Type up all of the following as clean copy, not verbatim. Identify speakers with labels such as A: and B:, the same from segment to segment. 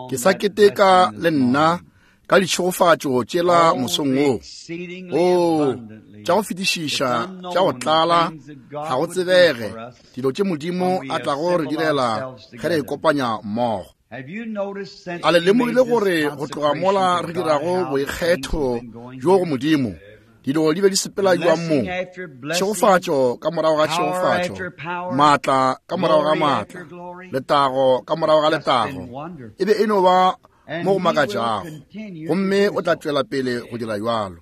A: Ke sa keteka le nna ka ditšhegofatšo tšela
B: Oh,
A: mosong wo.
B: exceedingly
A: O,
B: abundantly.
A: tša go fetišiša,
B: It's unknown
A: tša go tlala,
B: the things that God
A: ga go
B: would do
A: tsebege
B: for us
A: dilo tše Modimo
B: when we
A: a tlago re
B: assemble
A: direla
B: ourselves
A: ge re
B: together.
A: ikopanya mmogo.
B: Have you noticed since
A: A le
B: we
A: lemogile
B: made this
A: gore go tloga
B: consecration
A: mola
B: to
A: re
B: God
A: dirago
B: how things
A: boikgetho
B: have been going
A: bjo go
B: here?
A: Modimo, dilo di be di sepela jwang mo?
B: Blessing after blessing,
A: Tšhegofatšo ka morago ga
B: power
A: tšhegofatšo,
B: after power,
A: maatla ka morago ga
B: glory
A: maatla,
B: after glory.
A: letago ka morago ga
B: Just been
A: letago.
B: wonderful.
A: E be e no ba
B: And
A: mo go
B: he will
A: makatšago,
B: continue to
A: gomme
B: do
A: o tla
B: so.
A: tšwela pele go dira bjalo.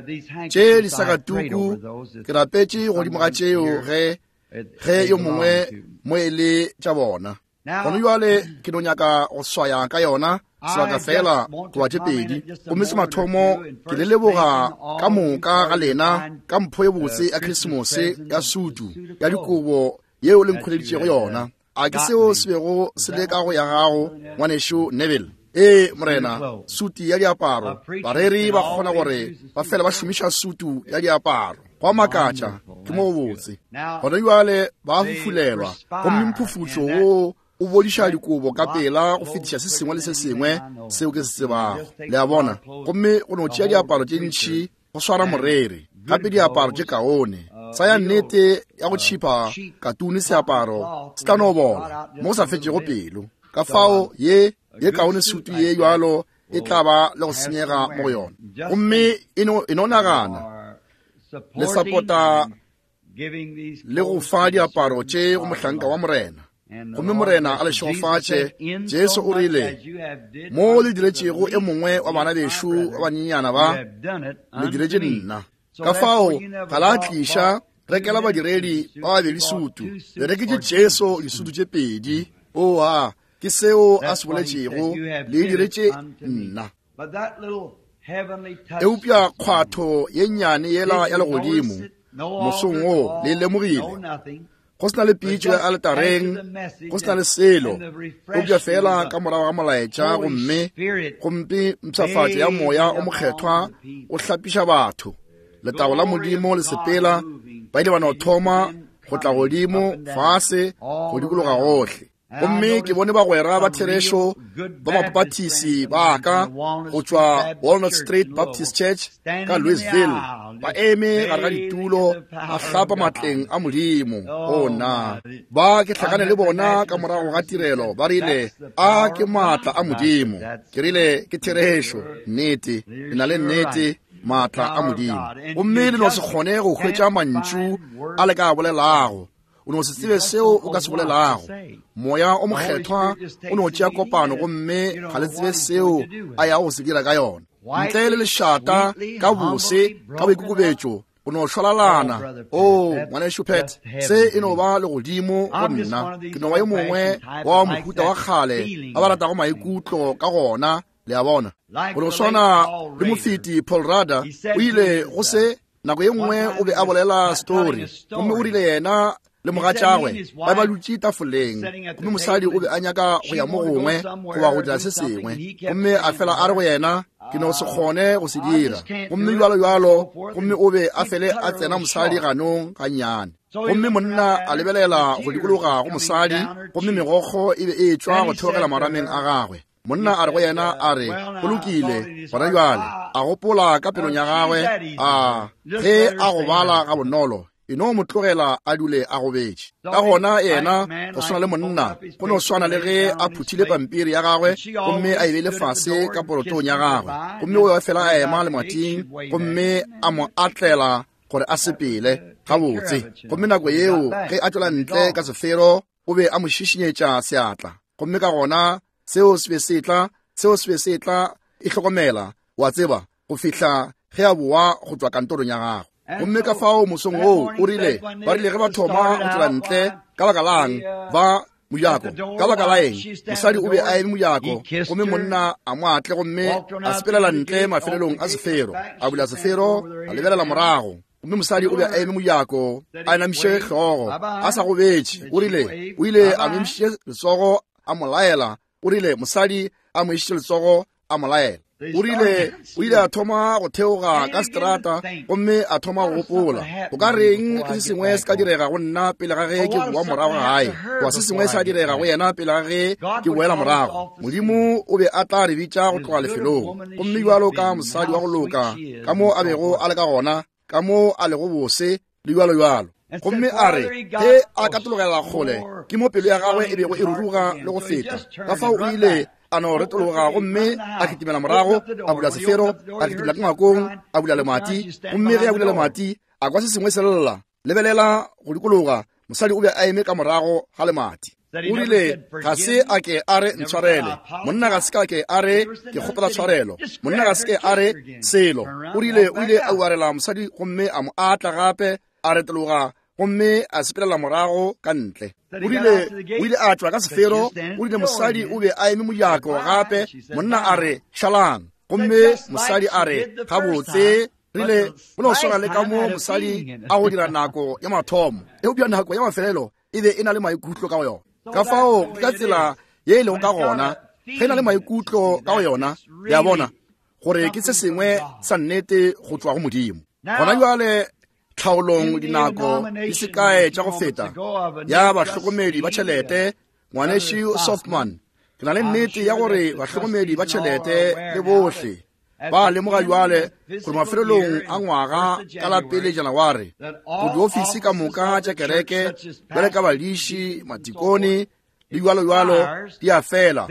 B: These
A: Tše
B: handkerchiefs, I
A: disakatuku
B: prayed over those
A: ke rapetše godimo ga
B: someone
A: tšeo
B: here
A: ge
B: that
A: ge
B: they
A: yo
B: belong
A: mongwe
B: to.
A: mo e le tša bona.
B: Now,
A: Gona bjale ke no nyaka go swaya ka yona sebaka
B: I
A: fela
B: just want to
A: goba tše
B: comment
A: pedi.
B: at just a
A: Gomme se
B: moment or
A: mathomo
B: two and
A: ke le
B: first
A: leboga
B: thanking all
A: ka
B: of you
A: moka
B: for
A: ga
B: your
A: lena
B: kind,
A: ka mpho ye botse ya
B: Christmas
A: Krisemose
B: present,
A: ya
B: the
A: sutu
B: suit of
A: ya
B: clothes
A: dikobo yeo le
B: that you
A: nkhweleditšego
B: had
A: yona. A ke
B: gotten
A: seo
B: me.
A: se bego
B: Is
A: se
B: that
A: le ka
B: what
A: go ya gago,
B: Brother Neville?
A: ngwanešu Neville? Ee,
B: Suit of
A: morena,
B: clothes.
A: sutu ya
B: A
A: diaparo.
B: preacher
A: Bareri
B: can
A: ba kgona
B: always
A: gore
B: use a
A: ba
B: suit
A: fele
B: of
A: ba
B: clothes.
A: šomiša sutu ya diaparo. Go a makatša,
B: Wonderful.
A: ke mo
B: That's
A: go
B: good.
A: botse.
B: Now,
A: Gona bjale ba
B: they
A: fufulelwa, gomme
B: perspire,
A: mphufutšo
B: and that
A: wo o bodiša
B: sweat
A: dikobo ka
B: lots
A: pela go
B: flows
A: fetiša se
B: quicker
A: sengwe le
B: than
A: se
B: anything
A: sengwe
B: I know
A: seo
B: of.
A: ke se
B: You
A: tsebago.
B: just take
A: Le a
B: a lot
A: bona?
B: of clothes
A: Gomme go no
B: to
A: tšea
B: hold
A: diaparo
B: the
A: tše
B: preacher
A: ntši go swara
B: and
A: moreri, gape
B: good
A: diaparo tše
B: clothes,
A: kaone. Sa ya
B: real
A: nnete ya go tšhipa
B: cheap
A: katune
B: cotton
A: seaparo
B: cloth
A: se tla
B: will
A: no
B: just rot
A: bola
B: out
A: mo go
B: just
A: sa
B: a little
A: fetšego
B: bit.
A: pelo. Ka
B: So
A: fao ye
B: a
A: ye
B: good
A: kaone
B: suit
A: sutu
B: like
A: ye
B: that
A: bjalo e tla
B: will
A: ba le go
B: have some
A: senyega mo go
B: wear.
A: yona.
B: Just
A: Gomme
B: think
A: e no e no
B: you
A: nagana
B: are
A: le
B: supporting
A: sapota
B: and giving these
A: le go
B: clothes
A: fa
B: to the
A: diaparo
B: servant
A: tše go
B: of the
A: mohlanka wa
B: Lord.
A: Morena.
B: And the
A: Gomme
B: Lord
A: Morena a
B: bless
A: le
B: you. Jesus
A: šegofatše.
B: said, In
A: Jesu
B: so
A: o
B: much
A: rile,
B: as you have did
A: mo le
B: unto the
A: diretšego e
B: least
A: mongwe
B: of
A: wa bana
B: these my
A: bešo ba
B: brethren,
A: banyenyana
B: you
A: ba,
B: have done it
A: le
B: unto
A: diretše
B: me.
A: nna.
B: So
A: Ka
B: therefore
A: fao
B: you never
A: ga la
B: bought,
A: tliša
B: bought two
A: rekela
B: ministers
A: badiredi
B: a suit,
A: ba
B: you
A: babedi
B: bought
A: sutu,
B: two
A: le
B: suits
A: reketše
B: for
A: Jesu
B: Jesus.
A: disutu tše pedi. Oa, ke seo a
B: That's
A: se
B: what he said.
A: boletšego,
B: You have
A: le
B: did it
A: diretše
B: unto me.
A: nna.
B: But that little heavenly touch
A: Eupša
B: this morning,
A: kgwatho ye nnyane yela
B: did
A: ya
B: you notice
A: legodimo
B: it? No
A: mosong
B: altar
A: wo le
B: call, no
A: lemogile
B: nothing.
A: go se na le
B: But
A: pitšo ya
B: just after
A: aletareng
B: the message
A: go se na le
B: and,
A: selo
B: and the
A: eupša
B: refreshing
A: fela
B: of the
A: ka morago ga molaetša
B: Holy
A: gomme
B: Spirit
A: gomme mpshafatšo ya moya
B: bathing
A: o mokgethwa
B: upon the
A: o
B: people.
A: hlapiša batho letago la
B: Glory
A: Modimo
B: of
A: le
B: God
A: sepela
B: moving,
A: ba ile ba no
B: and you
A: thoma
B: begin
A: go tla
B: coming up
A: godimo
B: and down
A: fase go
B: all
A: dikologa
B: around.
A: gohle
B: And I
A: gomme ke
B: noticed
A: bone bagwera ba
B: some real
A: therešo
B: good
A: ba
B: Baptist friends
A: mapapathisi
B: of
A: ba
B: mine from
A: ka
B: the Walnut
A: go
B: Street
A: tšwa
B: Baptist
A: Walnut
B: Church
A: Street
B: in Louisville
A: Baptist Church ka
B: standing in the
A: Louisville
B: aisle,
A: ba
B: just
A: eme gare ga
B: bathing in
A: ditulo
B: the
A: ba
B: power of
A: hlapa
B: God.
A: matleng a Modimo. O
B: Oh
A: nna
B: my.
A: ba ke
B: I
A: hlakane le
B: met the
A: bona ka
B: Baptist
A: morago ga
B: service and
A: tirelo
B: said,
A: ba rile
B: That's the
A: a
B: power
A: ke
B: of
A: maatla
B: God.
A: a
B: I said,
A: Modimo.
B: That's
A: Ke rile ke therešo
B: sure,
A: nnete
B: you're
A: le na le
B: sure
A: nnete
B: right. The
A: maatla a
B: power of
A: Modimo.
B: God. And
A: Gomme
B: you
A: le no se
B: just
A: kgone go hwetša
B: can't
A: mantšu
B: find
A: a
B: words
A: le ka a
B: to say.
A: bolelago o no se
B: You
A: tsebe
B: just
A: seo
B: don't
A: o
B: know
A: ka se
B: what to
A: bolelago.
B: say.
A: Moya o
B: The Holy
A: mokgethwa
B: Spirit just
A: o no
B: takes the
A: tšea
B: leading
A: kopano
B: and
A: gomme
B: you don't
A: ga le
B: know
A: tsebe
B: what he's
A: seo
B: going to do with
A: a
B: it.
A: yago go se dira ka yona. Ntle le
B: Quietly,
A: lešata,
B: sweetly,
A: ka bose,
B: humbly,
A: ka
B: broken up.
A: boikokobetšo, go no
B: Oh,
A: šwalalana.
B: Brother Pat,
A: O
B: that's
A: ngwanešu Pat,
B: just heaven
A: se
B: to
A: e no
B: me.
A: ba legodimo go
B: I'm just
A: nna.
B: one of
A: Ke
B: these
A: no ba yo mongwe
B: old-fashioned type
A: wa
B: that likes
A: mohuta wa
B: that
A: kgale
B: feeling
A: ba ba
B: of
A: ratago
B: thing.
A: maikutlo ka gona, le a bona.
B: Like
A: Go no
B: the late
A: swana
B: Paul
A: le
B: Rader,
A: mofeti Paul Rader
B: he said
A: o
B: to
A: ile
B: his,
A: go se nako ye
B: one
A: nngwe o
B: time
A: be
B: he
A: a
B: was
A: bolela
B: telling
A: story
B: a
A: gomme o
B: story.
A: rile yena le
B: He said he and
A: mogatšagwe
B: his
A: ba be ba
B: wife
A: dutše tafoleng
B: sitting at
A: gomme
B: the
A: mosadi
B: table,
A: o be
B: and
A: a nyaka go
B: she
A: ya mo
B: wanted to go
A: gongwe goba
B: somewhere
A: go
B: or
A: dira
B: do
A: se
B: something,
A: sengwe
B: and he kept
A: gomme a
B: saying to
A: fela a re
B: her,
A: go yena ke no se kgone go se
B: I
A: dira
B: just can't
A: gomme
B: do it,
A: bjalo
B: and
A: bjalo
B: so forth,
A: gomme
B: and
A: o be a
B: he'd
A: fele
B: cut
A: a
B: her a
A: tsena
B: little
A: mosadi
B: short.
A: ganong gannyane
B: So he
A: gomme
B: looked around
A: monna
B: at
A: a
B: her, and
A: lebelela
B: the
A: go
B: tears was
A: dikologa go
B: coming
A: mosadi
B: down her
A: gomme
B: cheek.
A: megokgo e be e tšwa
B: Then
A: go
B: he
A: theogela
B: said to
A: marameng a
B: her,
A: gagwe
B: he
A: monna a re go
B: said,
A: yena a re
B: Well,
A: go
B: now, I thought
A: lokile
B: in his
A: gona
B: heart,
A: bjale
B: ah,
A: a gopola ka pelong ya
B: she's
A: gagwe
B: that easy.
A: a
B: Just
A: ge
B: let her
A: a
B: stay
A: gobala
B: there.
A: ga bonolo e no mo tlogela a dule a gobetše.
B: So
A: Ka
B: he,
A: gona
B: like
A: yena
B: man,
A: go swana
B: like
A: le
B: he folded
A: monna
B: up his
A: go no
B: paper
A: swana
B: and
A: le
B: laid it
A: ge
B: down
A: a
B: on his
A: phuthile
B: plate.
A: pampiri ya gagwe
B: And she
A: gomme
B: always
A: a e beile
B: stood at the
A: fase
B: door
A: ka
B: and
A: porotong
B: kissed
A: ya
B: him
A: gagwe
B: goodbye, and
A: gomme
B: then
A: o be fela a
B: went
A: ema
B: out the gate.
A: lemating
B: She'd wave at
A: gomme
B: him,
A: a
B: and
A: mo atlela gore a
B: that would
A: sepele
B: take care
A: gabotse.
B: of it, you
A: Gomme
B: know,
A: nako
B: when he
A: yeo
B: got back
A: ge a tšwela
B: from his
A: ntle ka
B: office.
A: sefero o be a mo šišinyetša seatla gomme ka gona seo se be se tla seo se be se tla e hlokomela wa tseba go fihla ge a boa go tšwa kantorong ya gagwe.
B: And
A: Gomme ka
B: so
A: fao mosong
B: that
A: woo o
B: morning
A: rile
B: said when
A: ba rile
B: they
A: ge ba thoma
B: started
A: go tšwela
B: out,
A: ntle
B: why,
A: ka baka lang
B: the
A: ba
B: at the
A: mojako ka
B: door,
A: baka la
B: why,
A: eng
B: she standing at
A: mosadi
B: the
A: o be a
B: door,
A: eme
B: he
A: mojako
B: kissed
A: gomme
B: her,
A: monna a mo atle gomme
B: walked on
A: a
B: out the
A: sepelela
B: other
A: ntle
B: gate, opened
A: mafelelong
B: the
A: a
B: gate, looked
A: sefero
B: back,
A: a
B: she
A: bula
B: standing
A: sefero
B: over there,
A: a
B: head
A: lebelela
B: down.
A: morago gomme mosadi o be a eme mojako a inamišitše hlogo a sa gobetše o rile o ile a mo emišitše letsogo a mo laela o rile mosadi a mo išitše letsogo a mo laela. O rile o ile a thoma go theoga ka seterata gomme a thoma go gopola, go ka reng ge se sengwe se ka direga go nna pele ga ge ke boa morago gae, goba se sengwe sa direga go yena pele ga ge ke boela morago. Modimo o be a tla re bitša go tloga lefelong. Gomme bjalo ka mosadi wa go loka, ka mo a bego a le ka gona, ka mo a lego bose, le bjalo-bjalo. Gomme a re ge a katologela kgole, ke mo pelo ya gagwe e bego e ruruga le go feta. Ka fao o ile a no retologa gomme a kitimela morago, a bula sefero, a kitimela ka ngwakong, a bula lemati. Gomme ge a bula lemati, a kwa se sengwe se lla. Lebelela go dikologa, mosadi o be a eme ka morago ga lemati. O rile, Ga se a ke a re ntshwarele. Monna ga se ka ke a re ke kgopela tshwarelo. Monna ga se ke a re selo. O rile o ile a uarela mosadi gomme a mo atla gape, a retologa gomme a sepelela morago ka ntle. O rile o ile a tšwa ka sefero. O rile mosadi o be a eme mojako gape. Monna a re, Šalang. Gomme mosadi a re, Gabotse, rile go no swana le ka mo mosadi a go dira nako ya mathomo, eupša nako ya mafelelo e be e na le maikutlo ka go yona. Ka fao ke ka tsela ye e lego ka gona ge e na le maikutlo ka go yona, le a bona, gore ke se sengwe sa nnete go tšwa go Modimo. Gona bjale tlhaolong dinako di se kae tša go feta ya bahlokomedi ba tšhelete, Ngwanešu Softman, ke na le nnete ya gore bahlokomedi ba tšhelete le bohle ba lemoga bjale gore mafelelong a ngwaga ka la pele Janaware, go diofisi ka moka tša kereke bjale ka badiši, matikone le bjalo-bjalo di a fela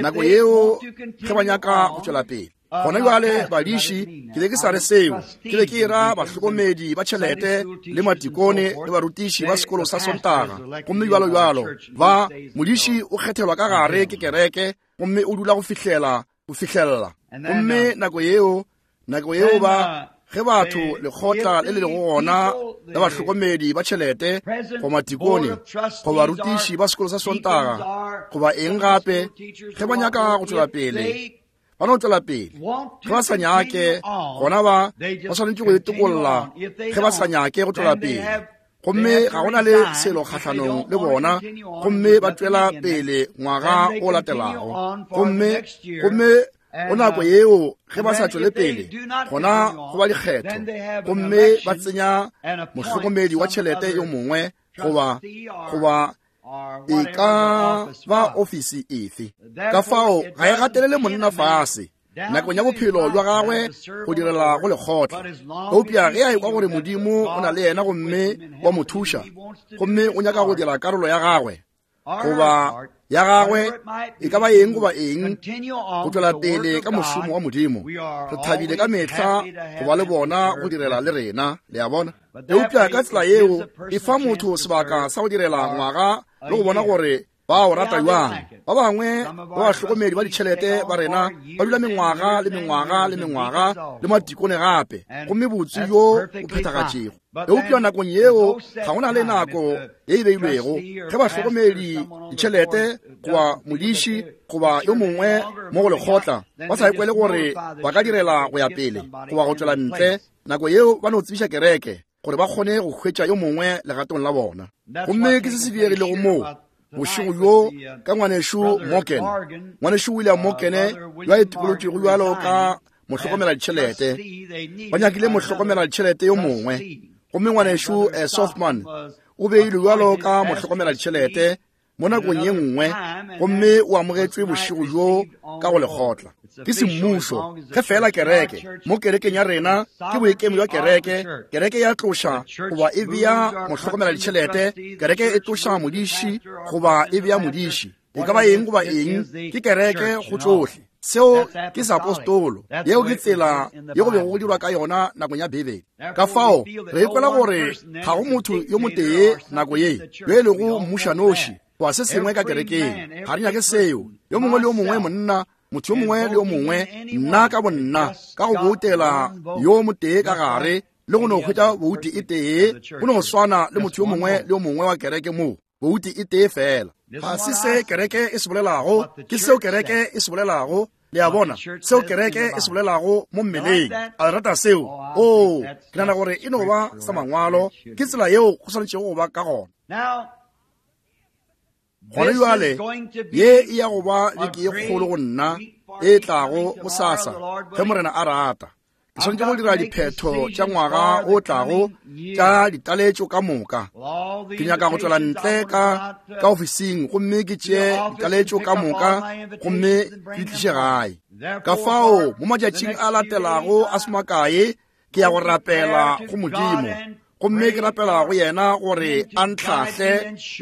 A: nako yeo ge ba nyaka go tšwela pele. Gona bjale badiši, ke be ke sa re seo, ke be ke era bahlokomedi ba tšhelete le matikone le barutiši ba sekolo sa Sontaga gomme bjalo-bjalo. Ba modiši o kgethelwa ka gare ke kereke gomme o dula go fihlela go fihlelela. Gomme nako yeo, nako yeo ba ge batho lekgotla le le lego gona la bahlokomedi ba tšhelete goba matikone goba barutiši ba sekolo sa Sontaga goba eng gape, ge ba nyaka go tšwela pele, ba no tšwela pele. Ge ba sa nyake, gona ba ba swanetše go itokolla ge ba sa nyake go tšwela pele. Gomme ga go na le selo kgahlanong le bona, gomme ba tšwela pele ngwaga o latelago. Gomme, gomme go nako yeo ge ba sa tšwele pele, gona go ba dikgetho, gomme ba tsenya mohlokomedi wa tšhelete yo mongwe goba, goba e ka ba ofisi efe. Ka fao ga e gatelele monna fase nakong ya bophelo bja gagwe go direla go lekgotla, eupša ge a ekwa gore Modimo o na le yena gomme wa mo thuša, gomme o nyaka go dira karolo ya gagwe goba ya gagwe, e ka ba eng goba eng, go tšwela pele ka mošomo wa Modimo, re thabile ka mehla go ba le bona go direla le rena. Le a bona? Eupša ka tsela yeo e fa motho sebaka sa go direla ngwaga le go bona gore ba o rata bjang. Ba bangwe ba bahlokomedi ba ditšhelete ba rena ba dula mengwaga le mengwaga le mengwaga le matikone gape, gomme botse bjo bo phethagatšego. Eupša nakong yeo ga go na le nako ye e beilwego ge bahlokomedi ditšhelete goba modiši goba yo mongwe mo go lekgotla ba sa ikwele gore ba ka direla go ya pele goba go tšwela ntle. Nako yeo ba no tsebiša kereke gore ba kgone go hwetša yo mongwe legatong la bona. Gomme ke se se diegilego moo bošego bjo ka ngwanešu Morgan, ngwanešu William Morgan, yo a itokolotšego bjalo ka mohlokomela ditšhelete. Ba nyakile mohlokomela ditšhelete yo mongwe, gomme ngwanešu Softman o beilwe bjalo ka mohlokomela ditšhelete mo nakong ye nngwe, gomme o amogetšwe bošego bjo ka go lekgotla ke semmušo. Ge fela kereke mo kerekeng ya rena ke boikemo bja kereke, kereke ya tloša goba e bea mohlokomela ditšhelete, kereke e tloša modiši goba e bea modiši, e ka ba eng goba eng, ke kereke go tšohle. Seo ke sa apostolo. Yeo ke tsela ye go bego go dirwa ka yona nakong ya Bibele. Ka fao re ikwela gore ga go motho yo motee nako ye yo e lego mmušanoši goba se sengwe ka kerekeng. Ga re nyake seo. Yo mongwe le yo mongwe monna, motho yo mongwe le yo mongwe, nna ka bonna, ka go boutela yo motee ka gare le go no hwetša bouti e tee, go no swana le motho yo mongwe le yo mongwe wa kereke moo, bouti e tee fela. Ga se se kereke e se bolelago, ke seo kereke e se bolelago. Le a bona, seo kereke e se bolelago mo mmeleng. A le rata seo? Oo, ke nagana gore e no ba sa mangwalo. Ke tsela yeo go swanetšego go ba ka gona. Gona bjale ye e ya go ba beke ye kgolo go nna e tlago gosasa, ge Morena a rata. Ke swanetše go dira diphetho tša ngwaga o tlago tša ditaletšo ka moka. Ke nyaka go tšwela ntle ka ka ofising gomme ke tšee ditaletšo ka moka gomme ke di tliše gae. Ka fao mo matšatšing a latelago a se makae ke ya go rapela go Modimo, gomme ke rapela go yena gore a ntlhahle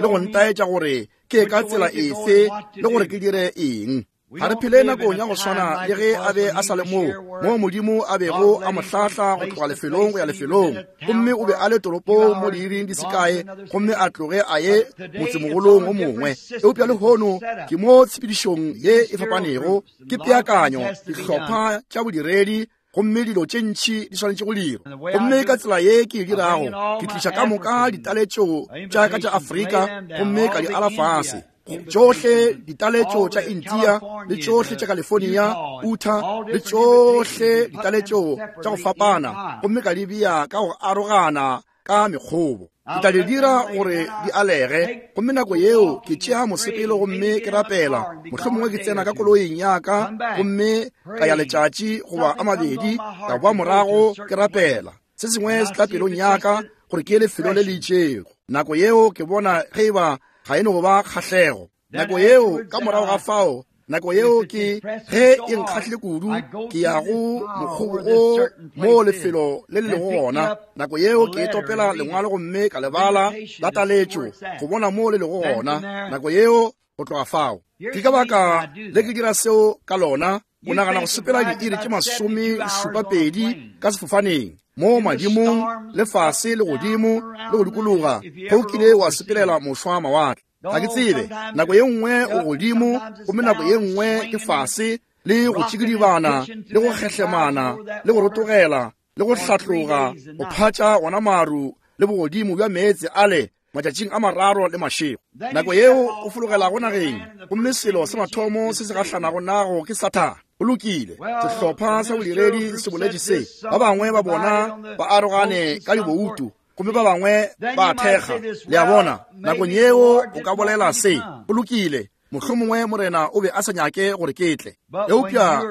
A: le go ntaetša gore ke ka tsela efe le gore ke dire eng. Ga re phele nakong ya go swana le ge a be a sa le moo, moo Modimo a bego a mo hlahla go tloga lefelong go ya lefelong, gomme o be a le toropong mo diiring di se kae gomme a tloge a ye motsemogolong o mongwe. Eupša lehono ke mo tshepedišong ye e fapanego, ke peakanyo, dihlopha tša bodiredi, gomme dilo tše ntši di swanetše go dirwa. Gomme ka tsela ye ke e dirago, ke tliša ka moka ditaletšo tša ka tša Afrika gomme ka di ala fase. Tšohle ditaletšo tša India le tšohle tša California, Utah le tšohle ditaletšo tša go fapana, gomme ka di bea ka go arogana ka mekgobo. Ke tla di dira gore di alege, gomme nako yeo ke tšea mosepelo gomme ke rapela. Mohlomongwe ke tsena ka koloing ya ka gomme ka ya letšatši goba a mabedi, ka boa morago ke rapela. Se sengwe se tla pelong ya ka gore ke ye lefelong le le itšego. Nako yeo ke bona ge e ba ga e no go ba kgahlego. Nako yeo ka morago ga fao, nako yeo ke ge e nkgahlile kudu, ke ya go mokgobo o mo lefelo le le lego gona. Nako yeo ke topela lengwalo gomme ka lebala la taletšo go bona mo le lego gona. Nako yeo go tloga fao, ke ka baka le ke dira seo ka lona. O nagana go sepela diiri tše 72 ka sefofaneng, mo madimong le fase le godimo le go dikologa, ge o kile wa sepelela mošwa mawatle. Ga ke tsebe, nako ye nngwe o godimo gomme nako ye nngwe ke fase, le go tšikidibana le go kgehlemana le go rotogela le go hlatloga go phatša wona maru le bogodimo bja meetse ale matšatšing a mararo le mašego. Nako yeo o fologelago nageng, gomme selo sa mathomo se se gahlanago nago ke Sathane. Go lokile, sehlopha sa bodiredi se boletše se, ba bangwe ba bona ba arogane ka diboutu gomme ba bangwe ba thekga. Le a bona, nakong yeo o ka bolela se, go lokile, mohlomongwe Morena o be a sa nyake gore ke tle. Eupša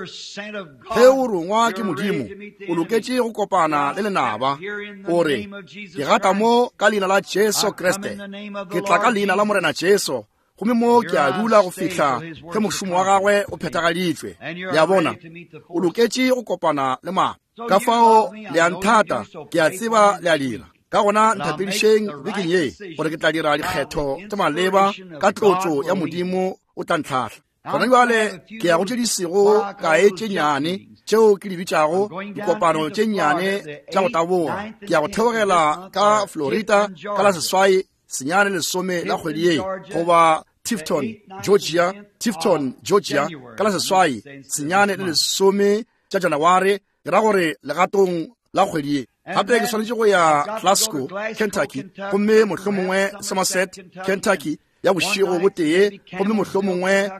A: ge o rongwa ke Modimo, o loketše go kopana le lenaba. O re, ke gata mo ka leina la Jesu Kriste, ke tla ka leina la Morena Jesu, gomme mo ke a dula go fihla ge mošomo wa gagwe o phethagaditšwe. Le a bona, o loketše go kopana le mapa. Ka fao le a nthata, ke a tseba le a dira. Ka gona nthapedišeng bekeng ye gore ke tla dira dikgetho tša maleba ka tlotšo ya Modimo o tla ntlhahla. Gona bjale ke ya go tše di sego kae tše nnyane tšeo ke di bitšago dikopano tše nnyane tša go taboga. Ke ya go theogela ka Florida ka la 8 9 10 la kgwedi ye, goba Tifton, Georgia, Tifton, Georgia, ka la 8 9 le 10 tša Janaware, ke ra gore legatong la kgwedi ye. Gape ke swanetše go ya Glasgow, Kentucky, gomme mohlomongwe Somerset, Kentucky, ya bošego bo tee, gomme mohlomongwe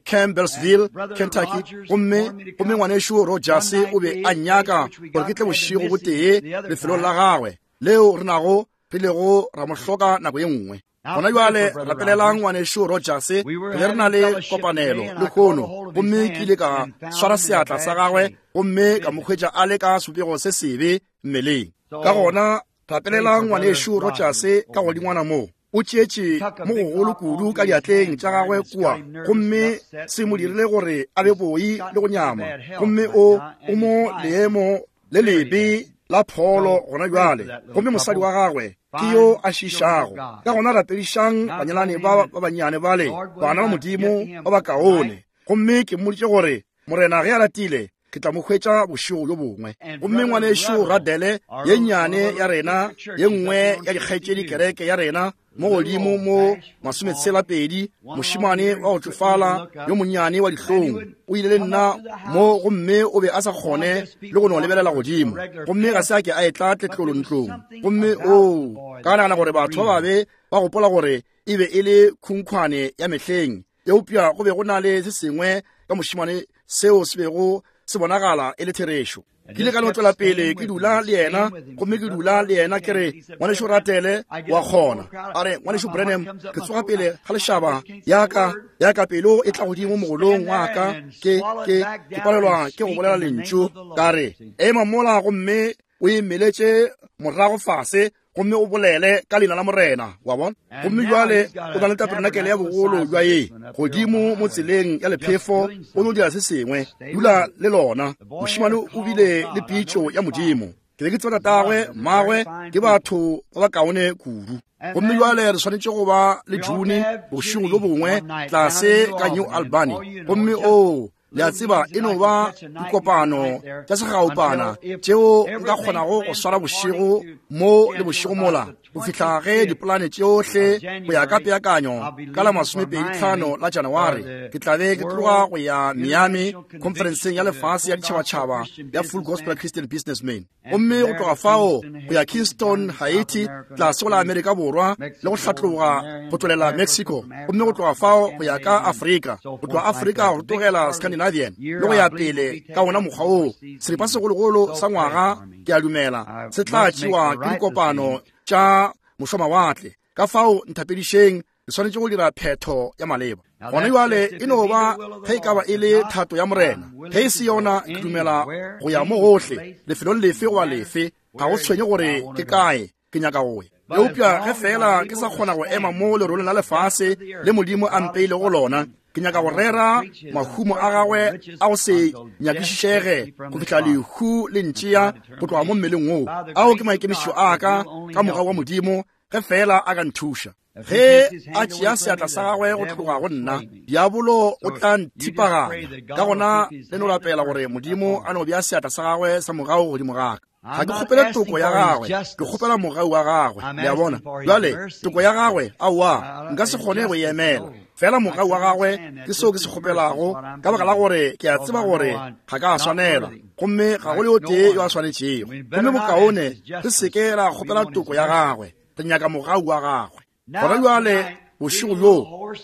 A: Campbellsville, Kentucky, gomme ngwanešu Rogers o be a nnyaka gore ke tle bošego bo tee lefelong la gagwe leo re nago re lego ra mo hloka nako ye nngwe. Gona bjale rapelelang ngwanešu Rogers, re be re na le kopanelo lehono, gomme ke ile ka swara seatla sa gagwe gomme ka mo hwetša a le ka sebopego se sebe mmeleng. Ka gona rapelelang ngwanešu Rogers ka godingwana mo. O tšeetše mo gogolo kudu ka diatleng tša gagwe kua, gomme se mo dirile gore a be boi le go nyama, gomme o mo leemo le lebe la pholo gona bjale, gomme mosadi wa gagwe ke yo a šišago. Ka gona rapedišang banyalani ba ba bannyane bale, bana ba Modimo ba bakaone. Gomme ke mmoditše gore Morena ge a ratile ke tla mo hwetša bošego bjo bongwe. Gomme ngwanešu Radele ye nnyane ya rena, ye nngwe ya dikgaetšedi kereke ya rena mo godimo mo 62, mošemane wa go tšofala yo monnyane wa dihlong, o ile le nna mo, gomme o be a sa kgone le go no lebelela godimo, gomme ga se a ke a etla tletlolo ntlong. Gomme oo, ka nagana gore batho ba babe ba gopola gore e be e le khunkhwane ya mehleng, eupša go be go na le se sengwe ka mošemane seo se bego se bonagala e le therešo. Ke ile ka no tšwela pele ke dula le yena, gomme ke dula le yena, ke re, Ngwanešu Ratele, wa kgona. A re, Ngwanešu Branham, ke tsoga pele ga lešaba, ya ka, ya ka pelo e tla godimo mogolong wa ka, ke, ke, ke palelwa ke go bolela lentšu. Ka re, Ema mola gomme o e meletše morago fase, gomme o bolele ka leina la Morena, wa bona. Gomme bjale o na le taberenakele ya bogolo jwa ye godimo mo tseleng ya lephefo, o no dira se sengwe. Dula le lona. Mošemane o bile le pitšo ya Modimo. Ke be ke tseba tatagwe, mmagwe, ke batho ba bakaone kudu. Gomme bjale re swanetše go ba le June bošego bjo bongwe tlase ka New Albany. Gomme oo, le a tseba, e no ba dikopano tša segaupana tšeo nka kgonago go swara bošego mo le bošego mola, go fihla ge dipolane tšohle go ya ka peakanyo ka la 25 la Janaware ke tla be ke tloga go ya Miami khonferenseng ya lefase ya ditšhabatšhaba ya Full Gospel Christian Businessmen. Gomme go tloga fao go ya Kingston, Haiti, tlase go la Amerika Borwa, le go hlatloga go tšwelela Mexico, gomme go tloga fao go ya ka Afrika, go tloga Afrika go tlogela Scandinavian, le go ya pele ka wona mokgwa woo. Seripa segologolo sa ngwaga, ke a dumela, se tla tšewa ke dikopano tša mošwamawatle. Ka fao nthapedišeng, le swanetše go dira phetho ya maleba gona bjale. E no ba ge e ka ba e le thato ya Morena, ge e se yona, ke dumela go ya mo gohle, lefelong lefe goba lefe, ga go tshwenye gore ke kae ke nyaka go ya. Eupša ge feela ke sa kgona go ema mo leroleng la lefase le Modimo a mpeilego go lona, ke nyaka go rera mahumo a gagwe a go se nyakišišege go fihla lehu le ntšea go tloga mo mmeleng woo. Ao ke maikemišetšo a ka ka mogau wa Modimo, ge feela a ka nthuša. Ge a tšea seatla sa gagwe go tloga go nna, diabolo o tla nthipaganya. Ka gona le no rapela gore Modimo a no bea seatla sa gagwe sa mogau godimo ga ka. Ga ke kgopele toko ya gagwe, ke kgopela mogau wa gagwe. Le a bona? Bjale, toko ya gagwe, aowa, nka se kgone go e emela. Fela mogau wa gagwe ke seo ke se kgopelago, ka baka la gore ke a tseba gore ga ka swanela, gomme ga go le o tee yo a swanetšego. Gomme bokaone re se ke ra kgopela toko ya gagwe, re nyaka mogau wa gagwe. Gona bjale bošego bjo,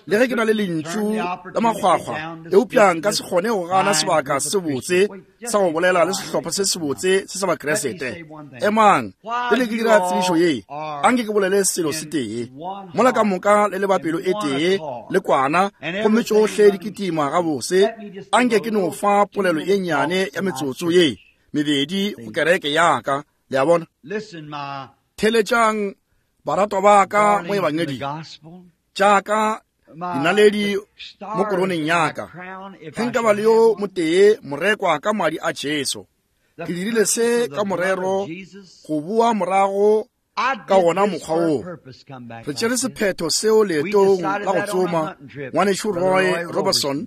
A: le ge ke na le lentšu la makgwakgwa, eupša nka se kgone go gana sebaka se sebotse sa go bolela le sehlopha se sebotse se sa Bakriste. Emang, pele ke dira tsebišo ye, anke ke bolele selo se tee. Mola ka moka le le ba pelo e tee le kwana, gomme tšohle di kitima gabose, anke ke no fa polelo e nnyane ya metsotso ye mebedi go kereke ya ka. Le a bona? Theletšang, baratwa ba ka mo ebangeding, tša ka dinaledi mo koroneng ya ka, ge nka ba le yo motee morekwa ka madi a Jesu. Ke dirile se ka morero go boa morago ka wona mokgwa woo. Re tšere sephetho seo leetong la go tsoma, Ngwanešu Roy Robertson,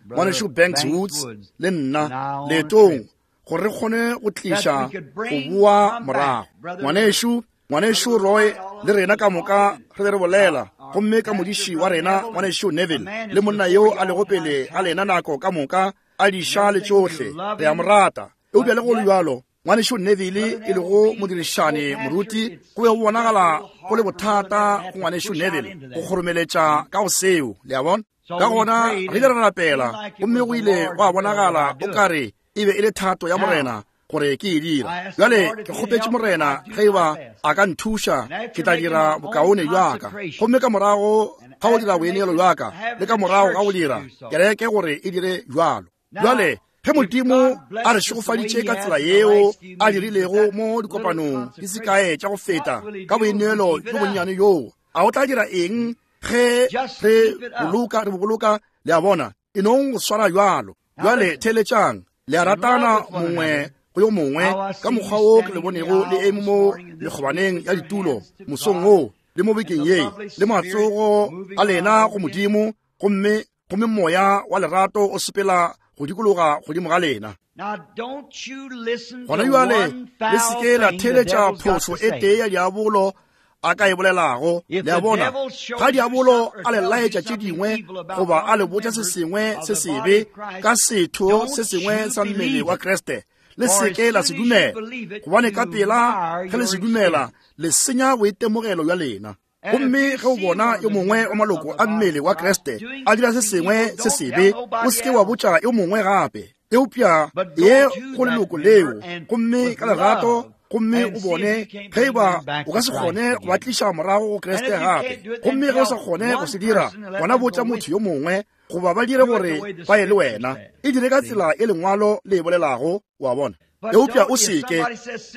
A: Ngwanešu Banks Woods le nna, leetong gore re kgone go tliša go boa morago. Ngwanešu, Ngwanešu Roy le rena ka moka re be re bolela, gomme ka modiši wa rena Ngwanešu Neville le monna yo a lego pele ga lena nako ka moka a diša le tšohle, re a mo rata. Eupša le go le bjalo, Ngwanešu Neville e lego modirišane moruti, go be go bonagala go le bothata go Ngwanešu Neville go kgoromeletša ka go seo, le a bona. Ka gona re ile ra rapela, gomme go ile gwa bonagala o ka re e be e le thato ya Morena gore ke e dira. Bjale ke kgopetše Morena ge e ba a ka nthuša, ke tla dira bokaone bja ka. Gomme ka morago ga go dira boineelo bja ka, le ka morago ga go dira kereke gore e dire bjalo. Bjale ge Modimo a re šegofaditše ka tsela yeo a dirilego mo dikopanong di se kae tša go feta ka boineelo bjo bonnyane bjoo, a o tla dira eng ge re boloka, re boloka? Le a bona, e nong go swara bjalo. Bjale theeletšang, le a ratana mongwe go yo mongwe ka mokgwa wo ke le bonego le eme mo mekgobaneng ya ditulo mosong wo le mo bekeng ye, le matsogo a lena go Modimo, gomme gomme moya wa lerato o sepela go dikologa godimo ga lena. Gona bjale le se ke la theeletša phošo e tee ya diabolo a ka e bolelago. Le a bona, ga diabolo a le laetša tše dingwe goba a le botša se sengwe se sebe ka setho se sengwe sa mmele wa Kriste, le se ke la se dumela, gobane ka pela ge le se dumela le senya boitemogelo bja lena. Gomme ge o bona yo mongwe wa maloko a mmele wa Kriste a dira se sengwe se sebe, o se ke wa botša yo mongwe gape. Eupša ye go leloko leo, gomme ka lerato, gomme o bone ge e ba o ka se kgone go ba tliša morago go Kriste gape. Gomme ge o sa kgone go se dira, gona botša motho yo mongwe, goba ba dire gore ba ye le wena. E dire ka tsela e Lengwalo le e bolelago, wa bona. Eupša o se ke,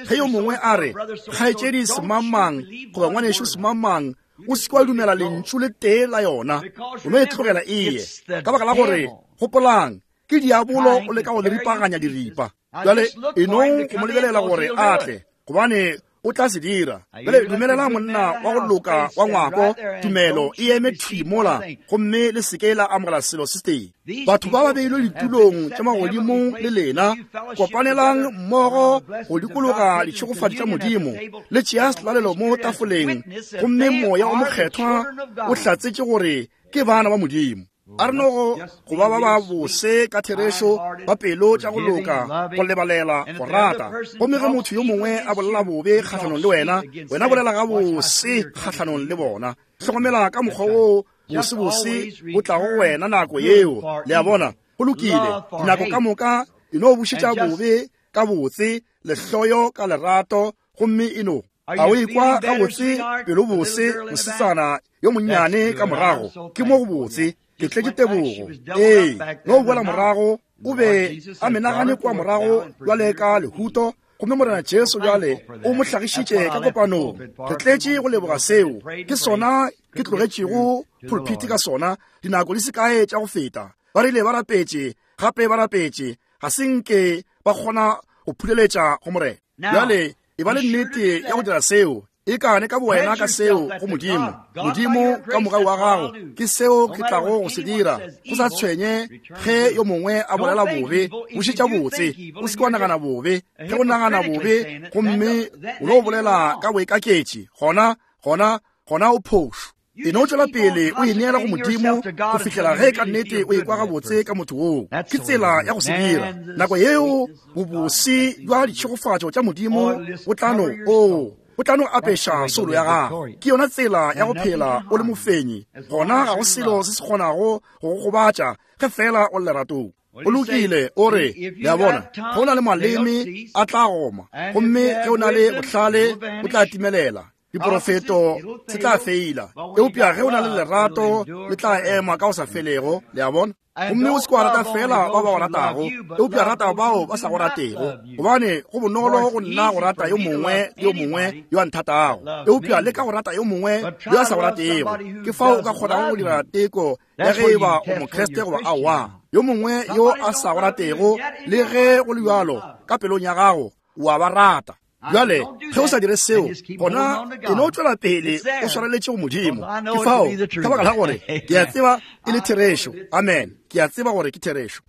A: ge yo mongwe a re, Kgaetšedi semangmang, goba ngwanešu semangmang, o se ke wa dumela lentšu le tee la yona. O no e tlogela e ye. Ka baka la gore, gopolang, ke diabolo o leka go le ripaganya diripa. Bjale e nong go mo lebelela gore a tle, gobane o tla se dira. Bjale dumelela monna wa go loka wa ngwako, tumelo e eme thwi mola, gomme le se ke la amogela selo se tee. Batho ba ba beilwe ditulong tša magodimong le lena, kopanelang mmogo go dikologa ditšhegofatšo tša Modimo, le tšea selalelo mo tafoleng, gomme Moya o Mokgethwa o hlatsetše gore ke bana ba Modimo. A re nogo go ba ba ba bose ka therešo, ba pelo tša go loka, go lebalela, go rata. Gomme ge motho yo mongwe a bolela bobe kgahlanong le wena, wena bolela gabose kgahlanong le bona. Hlokomela ka mokgwa woo bosebose bo tlago go wena nako yeo. Le a bona? Go lokile. Dinako ka moka e no bušetša bobe ka botse, lehloyo ka lerato, gomme e no A o ikwa gabotse, pelo bose, mosetsana yo monnyane ka morago? Ke mo go botse. Ke tletše tebogo. Ee, no boela morago, o be a menagane kua morago bjale ka lehuto, gomme Morena Jesu bjale o mo hlagišitše ka kopanong. Re tletše go leboga seo. Ke sona ke tlogetšego pulpiti ka sona dinako di se kae tša go feta. Ba rile ba rapetše, gape ba rapetše, ga se nke ba kgona go phuleletša go Morena. Bjale e ba le nnete ya go dira seo, e kane ka bowena ka seo go Modimo. Modimo, ka mogau wa gago, ke seo ke tlago go se dira. Go sa tshwenye ge yo mongwe a bolela bobe, bušetša botse. O se ke wa nagana bobe. Ge o nagana bobe gomme o no bolela ka boikaketši, gona, gona, gona o phošo. E no tšwela pele o ineela go Modimo go fihlela ge ka nnete o ekwa gabotse ka motho woo. Ke tsela ya go se dira. Nako yeo bobose bja ditšhegofatšo tša Modimo bo tla no, oo, bo tla no apeša soulo ya gago. Ke yona tsela ya go phela o le mofenyi. Gona ga go selo se se kgonago go go gobatša ge feela o le leratong. O lokile, o re, le a bona, ge o na le maleme a tla goma, gomme ge o na le bohlale bo tla timelela. Diporofeto se tla feila, eupša ge o na le lerato le tla ema ka go sa felego. Le a bona? Gomme o se ke wa rata feela ba ba go ratago, eupša rata bao ba sa go ratego, gobane go bonolo go nna go rata yo mongwe le yo mongwe yo a nthatago, eupša leka go rata yo mongwe yo a sa go ratego. Ke fao o ka kgonago go dira teko ya ge e ba o Mokriste goba aowa. Yo mongwe yo a sa go ratego, le ge go le bjalo, ka pelong ya gago o a ba rata. Bjale, ge o sa dire seo, gona e no tšwela pele o swareletše go Modimo. Ke fao, ka baka la gore ke a tseba e le therešo. Amen. Ke a tseba gore ke therešo.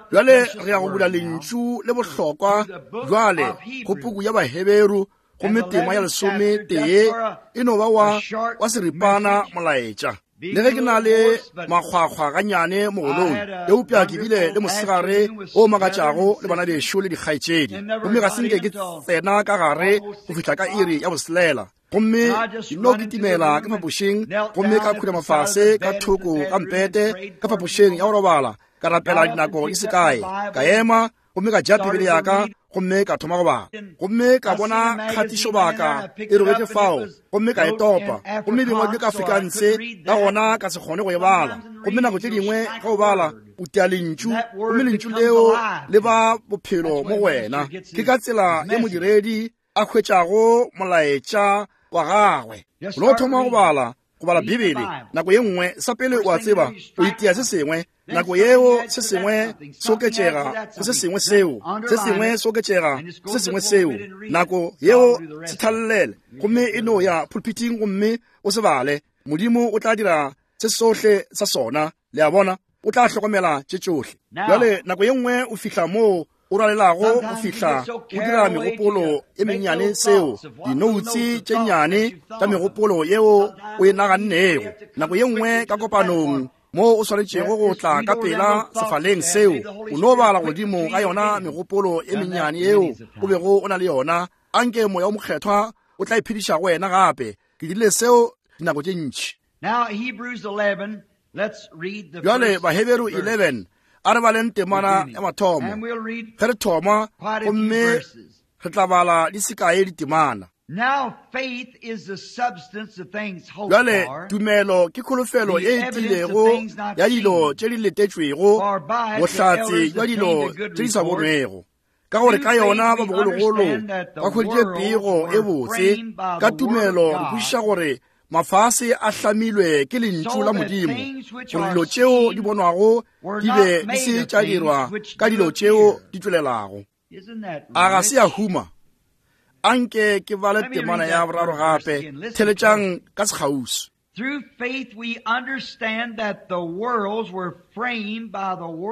A: Bjale re ya go bula lentšu le bohlokwa bjale go puku ya Baheberu, gomme tema ya 11 e no ba wa, wa seripana molaetša. Le ge ke na le makgwakgwa gannyane mogolong, eupša ke bile le mosegare o makatšago le bana bešo le dikgaetšedi, gomme ga se nke ke tsena ka gare go fihla ka iri ya boselela. Gomme ke no kitimela ka phapošing, gomme ka khunama fase ka thoko ga mpete ka phapošing ya go robala, ka rapela dinako di se kae, ka ema gomme ka ja Bibele ya ka gomme ka thoma go bala, gomme ka bona kgatišobaka e robetše fao, gomme ka e topa, gomme e bengwe ka Afrikaanse, ka gona ka se kgone go e bala. Gomme nako tše dingwe ge o bala o tia lentšu, gomme lentšu leo le ba bophelo mo go wena. Ke ka tsela ye modiredi a hwetšago molaetša wa gagwe. O no thoma go bala, go bala Bibele nako ye nngwe, sa pele o a tseba o itia se sengwe, nako yeo se sengwe se oketšega go se sengwe seo, se sengwe se oketšega go se sengwe seo, nako yeo se thallele, gomme e no ya pulpiting gomme o se bale. Modimo o tla dira se sohle sa sona. Le a bona? O tla hlokomela tše tšohle. Bjale nako ye nngwe o fihla moo o rwalelago go fihla o dira megopolo e mennyane, seo, dinoutse tše nnyane tša megopolo yeo o e nagannego. Nako ye nngwe ka kopanong moo o swanetšego go tla ka pela sefaleng seo, o no bala godimo ga yona megopolo e mennyane yeo o bego o na le yona. Anke Moya o Mokgethwa o tla iphediša go wena gape. Ke dirile seo dinako tše ntši.
B: Now, Hebrews 11.
A: Bjale Baheberu 11, a re baleng temana ya mathomo ge re thoma, gomme re tla bala di sekae ditemana. Bjale tumelo ke kholofelo ye e tiilego ya dilo tše di letetšwego, bohlatse bja dilo tše di sa bonwego. Ka gore ka yona ba bogologolo ba hweditše pego e botse, ka tumelo re kwešiša gore mafase a hlamilwe ke lentšu la Modimo, gore dilo tšeo di bonwago di be di se tša dirwa ka dilo tšeo di tšwelelago. A ga se ya huma? Anke ke bale temana ya boraro gape, theletšang ka sekgauswi.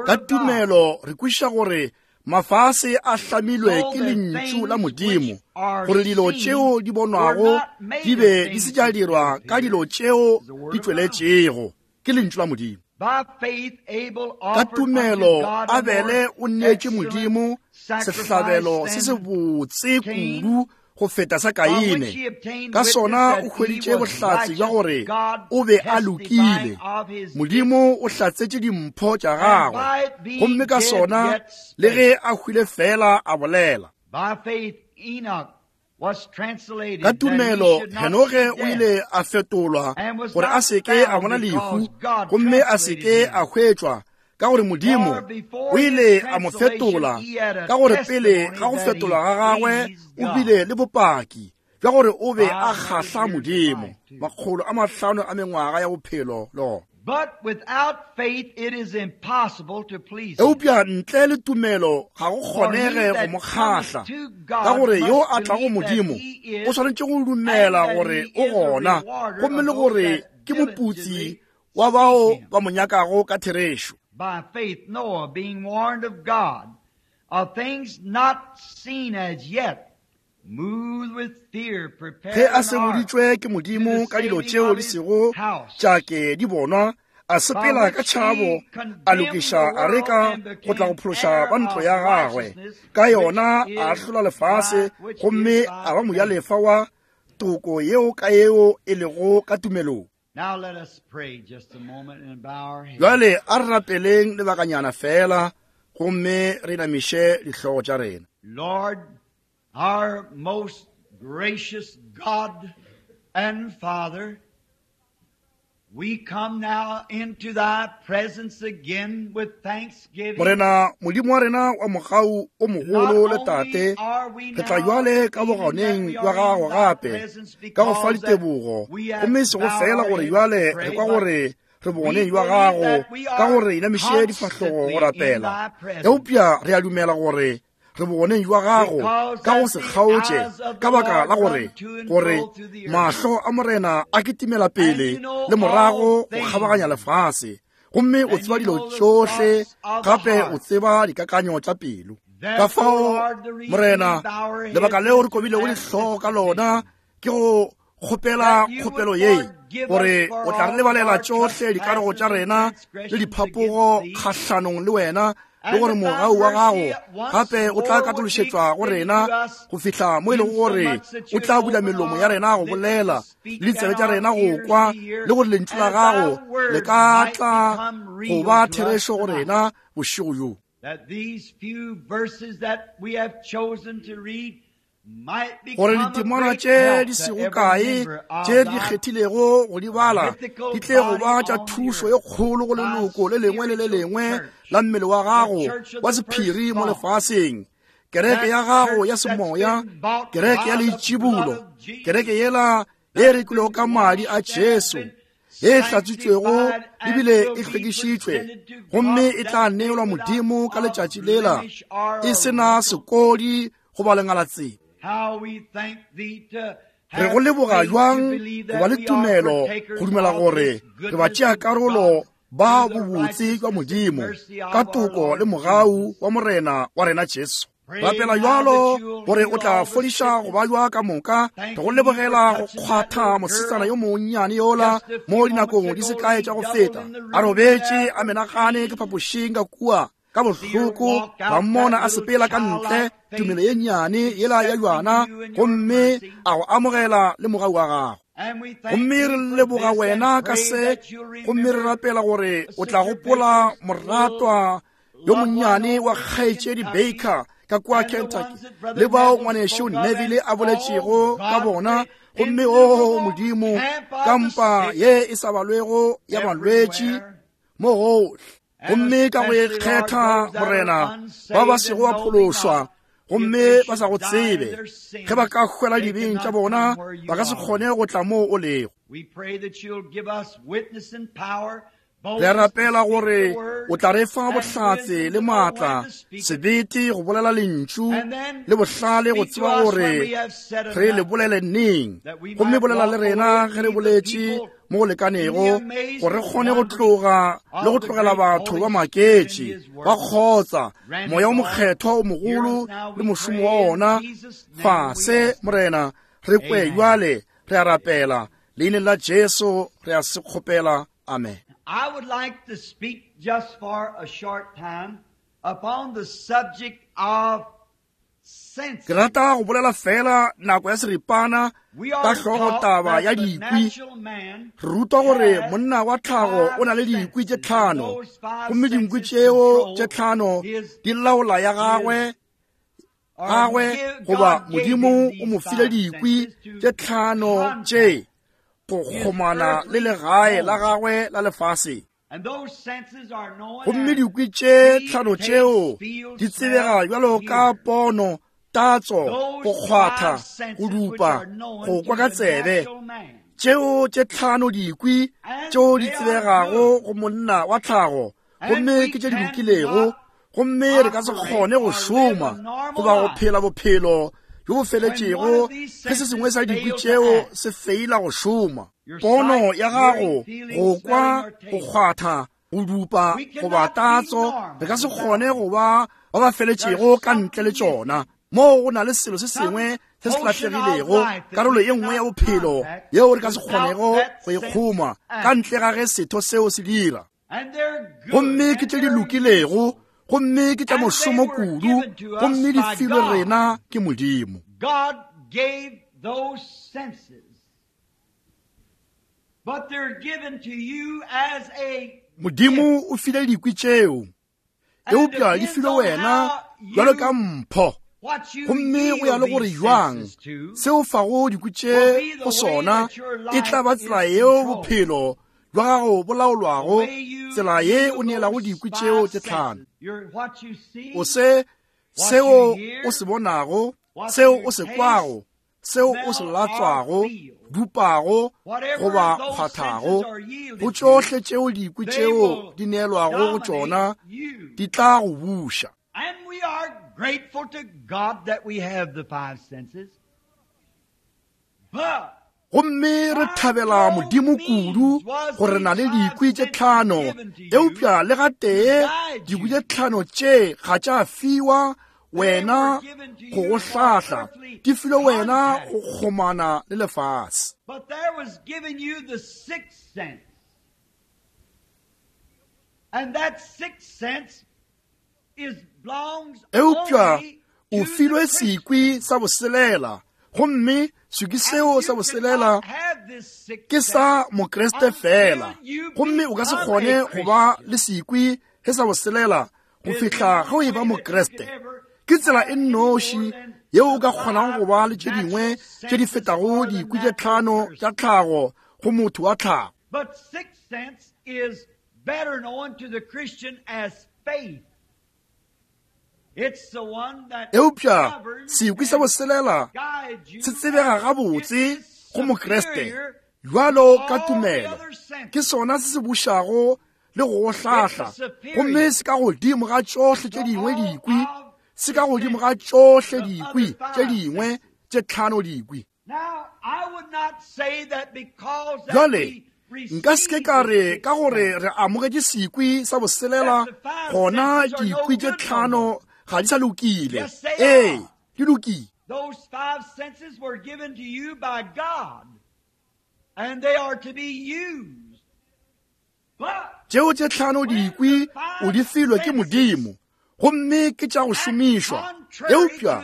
A: Ka tumelo re kwešiša gore mafase a hlamilwe ke lentšu la Modimo, gore dilo tšeo di bonwago di be di se tša dirwa ka dilo tšeo di tšweletšego. Ke lentšu la Modimo. Ka tumelo Abele o neetše Modimo sehlabelo se se botse kudu go feta sa Kaine. Ka sona o hweditše bohlatse bja gore o be a lokile. Modimo o hlatsetše dimpho tša gagwe, gomme ka sona le ge a hwile fela a bolela. Ka tumelo Henoge o ile a fetolwa gore a se ke a bona lehu, gomme a se ke a hwetšwa, ka gore Modimo o ile a mo fetola, ka gore pele ga go fetolwa ga gagwe o bile le bopaki bja gore o be a kgahla Modimo. 500 a mengwaga ya bophelo le gona. Eupša ntle le tumelo ga go kgonege go mo kgahla, ka gore yo a tlago Modimo o swanetše go dumela gore o gona, gomme le gore ke moputsi wa bao ba mo nyakago ka therešo.
B: By faith Noah, being warned of God of things not seen as yet,
A: Ge a seboditšwe ke Modimo ka dilo tšeo di sego tša ke di bonwa, a sepela ka tšhabo, a lokiša areka go tla go phološa ba ntlo ya gagwe. Ka yona a ahlola lefase, gomme a ba mojalefa wa toko yeo ka yeo e lego ka tumelong. Bjale a re rapeleng lebakanyana fela, gomme re inamiše dihlogo tša rena.
B: Lord, our most gracious God and Father, we come now into thy presence again with thanksgiving.
A: Morena Modimo wa rena wa mogau o mogolo le Tate, re tla jwale ka bogoneng bja gago gape ka go fa ditebogo, gomme e sego fela gore jwale re kwa gore re bogoneng bja gago ka gore inamiše difahlogo go rapela, eupša re a dumela gore re bogoneng jwa gago ka go se kgaotše, ka baka la gore gore mahlo a Morena a kitimela pele le morago go kgabaganya lefase, gomme o tseba dilo tšohle, gape o tseba dikakanyo tša pelo. Ka fao, Morena, lebaka leo re kobilego dihlogo ka lona ke go kgopela kgopelo ye, gore o tla re lebalela tšohle dikarogo tša rena le diphapogo kgahlanong le wena, le gore mogau wa gago gape o tla katološetšwa go rena go fihla mo e lego gore o tla bula melomo ya rena go bolela le ditsebe tša rena go kwa, le gore lentšu la gago le ka tla go ba therešo go rena bošego bjo. Gore ditemana tše di sego kae tše di kgethilego go di bala di tle go ba tša thušo ye kgolo go leloko le lengwe le le lengwe la mmele wa gago wa sephiri mo lefaseng, kereke ya gago ya semoya, kereke ya leitšibulo, kereke yela ye rekilwego ka madi a Jesu, ye e hlatswitšwego ebile e hlwekišitšwe, gomme e tla neelwa Modimo ka letšatši lela e se na sekodi goba lengalatsela. Re go leboga bjang go ba le tumelo go dumela gore re ba tšea karolo ba bobotse jwa Modimo ka toko le mogau wa Morena wa rena Jesu. Rapela bjalo gore o tla fodiša go bajwa ka moka. Re go lebogela go kgwatha mosetsana yo monnyane yola mo dinakong di se kae tša go feta, a robetše a menagane ke phapošing ka kua ka bohloko, ra mmona a sepela ka ntle, tumelo ye nnyane yela ya bjana, gomme a go amogela le mogau wa gago. Gomme re leboga wena ka se, gomme re rapela gore o tla gopola moratwa yo monnyane wa kgaetšedi Baker ka kua Kentucky, le bao ngwanešu Neville a boletšego ka bona. Gomme o Modimo, kampa ye e sa balwego ya balwetši mo gohle, gomme ka go ikgetha, Morena, ba ba sego ba phološwa gomme ba sa go tsebe, ge ba ka hwela dibeng tša bona, ba ka se kgone go tla moo o lego. Re rapela gore o tla re fa bohlatse le maatla, sebete go bolela lentšu, le bohlale go tseba gore re le bolele neng, gomme bolela le rena ge re boletše mo go lekanego gore re kgone go tloga le go tlogela batho ba maketše ba kgotsa moya o mokgethwa o mogolo le mošomo wa ona fase. Morena, re kwe bjale, re a rapela leineng la Jesu, re a se kgopela. Amen.
B: I would like to speak just for a short time upon the subject of
A: Ke rata go bolela fela nako ya seripana ka hlogo taba ya dikwi. Re rutwa gore monna wa tlhago o na le dikwi tše tlhano, gomme dinkwi tšeo tše tlhano di laola ya gagwe gagwe goba Modimo o mo file dikwi tše tlhano tše go kgomana le legae la gagwe la lefase. Gomme dikwi tše tlhano tšeo di tsebega bjalo ka pono, tatso, go kgwatha, go dupa, go kwa ka tsebe. Tšeo tše tlhano dikwi tšeo di tsebegago go monna wa tlhago, gomme ke tše di lokilego, gomme re ka se kgone go šoma goba go phela bophelo bjo bo feletšego ge se sengwe sa dikwi tšeo se feila go šoma. Pono ya gago, go kwa, go kgwatha, go dupa goba tatso, re ka se kgone go ba ba ba feletšego ka ntle le tšona. Moo go na le selo se sengwe se se lahlegilego, karolo ye nngwe ya bophelo yeo re ka se kgonego go e kgoma ka ntle ga ge setho seo se dira. Gomme ke tše di lokilego, gomme ke tša mošomo kudu, gomme di filwe rena ke Modimo.
B: God gave those senses, but they're given to you as a
A: Modimo o file dikwi tšeo, eupša di filwe wena bjalo ka mpho. Gomme go ya le gore jwang seo fago dikwi tše go sona, e tla ba tsela yeo bophelo bja gago bo laolwago, tsela ye o neelago dikwi tšeo tše tlhano. O se seo o se bonago, seo o se kwago, seo o se latswago, dupago goba kgwathago, go tšohle tšeo dikwi tšeo di neelwago go tšona, di tla go buša.
B: And we are grateful to God that we have the five senses. But
A: Gomme re thabela Modimo kudu gore re na le dikwi tše tlhano, eupša le gatee dikwi tše tlhano tše ga tša fiwa wena go go hlahla, di filwe wena go kgomana le lefase.
B: But there was given you the sixth sense. And that sixth sense is belongs
A: Eupša
B: only
A: o
B: to the
A: filwe
B: Christian.
A: sekwi sa boselela, gomme sekwi seo
B: And
A: sa
B: you
A: boselela
B: cannot have this sixth
A: ke sa
B: sense
A: Mokriste fela, gomme o ka se kgone go ba le sekwi ge sa boselela go fihla ge o e ba Mokriste. Ke tsela e nnoši yeo o ka kgonago go ba le tše dingwe tše di fetago dikwi tše tlhano tša tlhago go motho wa tlhago.
B: But sixth sense is better known to the Christian as faith. It's the one that
A: Eupša
B: governs
A: sekwi sa
B: and
A: boselela
B: guides you
A: se tsebega
B: as
A: gabotse
B: it is
A: go Mokriste
B: superior
A: bjalo
B: to
A: ka
B: all the
A: tumelo.
B: other senses.
A: Ke sona se se bušago le go go hlahla, gomme se ka godimo ga tšohle tše dingwe dikwi, se ka godimo ga tšohle dikwi tše dingwe tše tlhano dikwi.
B: Now, I would not say that because that
A: Bjale,
B: we
A: nka se ke ka
B: receive
A: re
B: the
A: ka gore
B: sixth
A: re amogetše sekwi sa boselela, gona dikwi tše tlhano ga di sa lokile. Ee, di lokile.
B: Those five senses were given to you by God, and they are to be used. But
A: Tšeo tše tlhano dikwi o di filwe ke Modimo, gomme ke tša go šomišwa. Eupša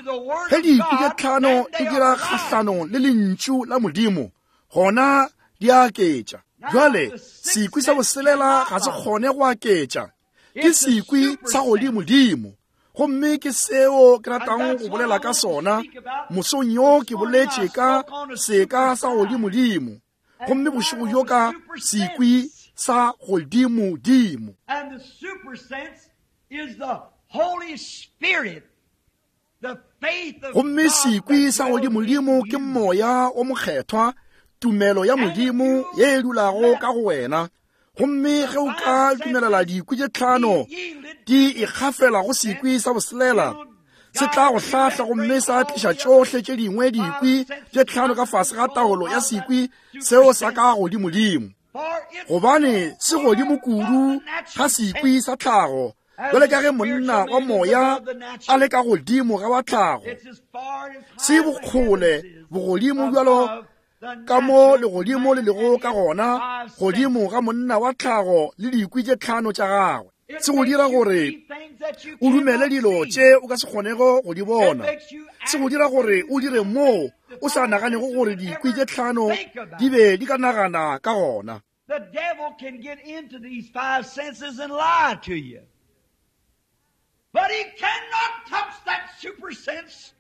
A: ge dikwi tše tlhano di dira kgahlanong le lentšu la Modimo, Gona di a aketša. Bjale, sekwi sa boselela ga se kgone go aketša. Ke sekwi sa godimodimo. Gomme ke seo ke ratago go bolela ka sona. Mosong yo ke boletše ka seka sa godimodimo. Gomme bošego bjo ka sekwi sa godimodimo.
B: And the super sense is the Holy Spirit.
A: Gomme sekwi sa godimodimo ke Moya o Mokgethwa, tumelo ya Modimo ye e dulago ka go wena. Gomme ge o ka dumelela dikwi tše tlhano di ikgafela go sekwi sa boselela, se tla go hlahla gomme sa tliša tšohle tše dingwe dikwi tše tlhano ka fase ga taolo ya sekwi seo sa ka godimodimo. Gobane se godimo kudu ga sekwi sa tlhago, bjale ka ge monna wa moya a le ka godimo ga wa tlhago. Se bokgole bogodimo bjalo ka mo legodimo le lego ka gona godimo ga monna wa tlhago le dikwi tše tlhano tša gagwe. Se go dira gore o dumele dilo tše o ka se kgonego go di bona. Se go dira gore o dire moo o sa naganego gore dikwi tše tlhano di be di ka nagana ka gona.
B: The devil can get into these five senses and lie to you. But he cannot touch that super sense.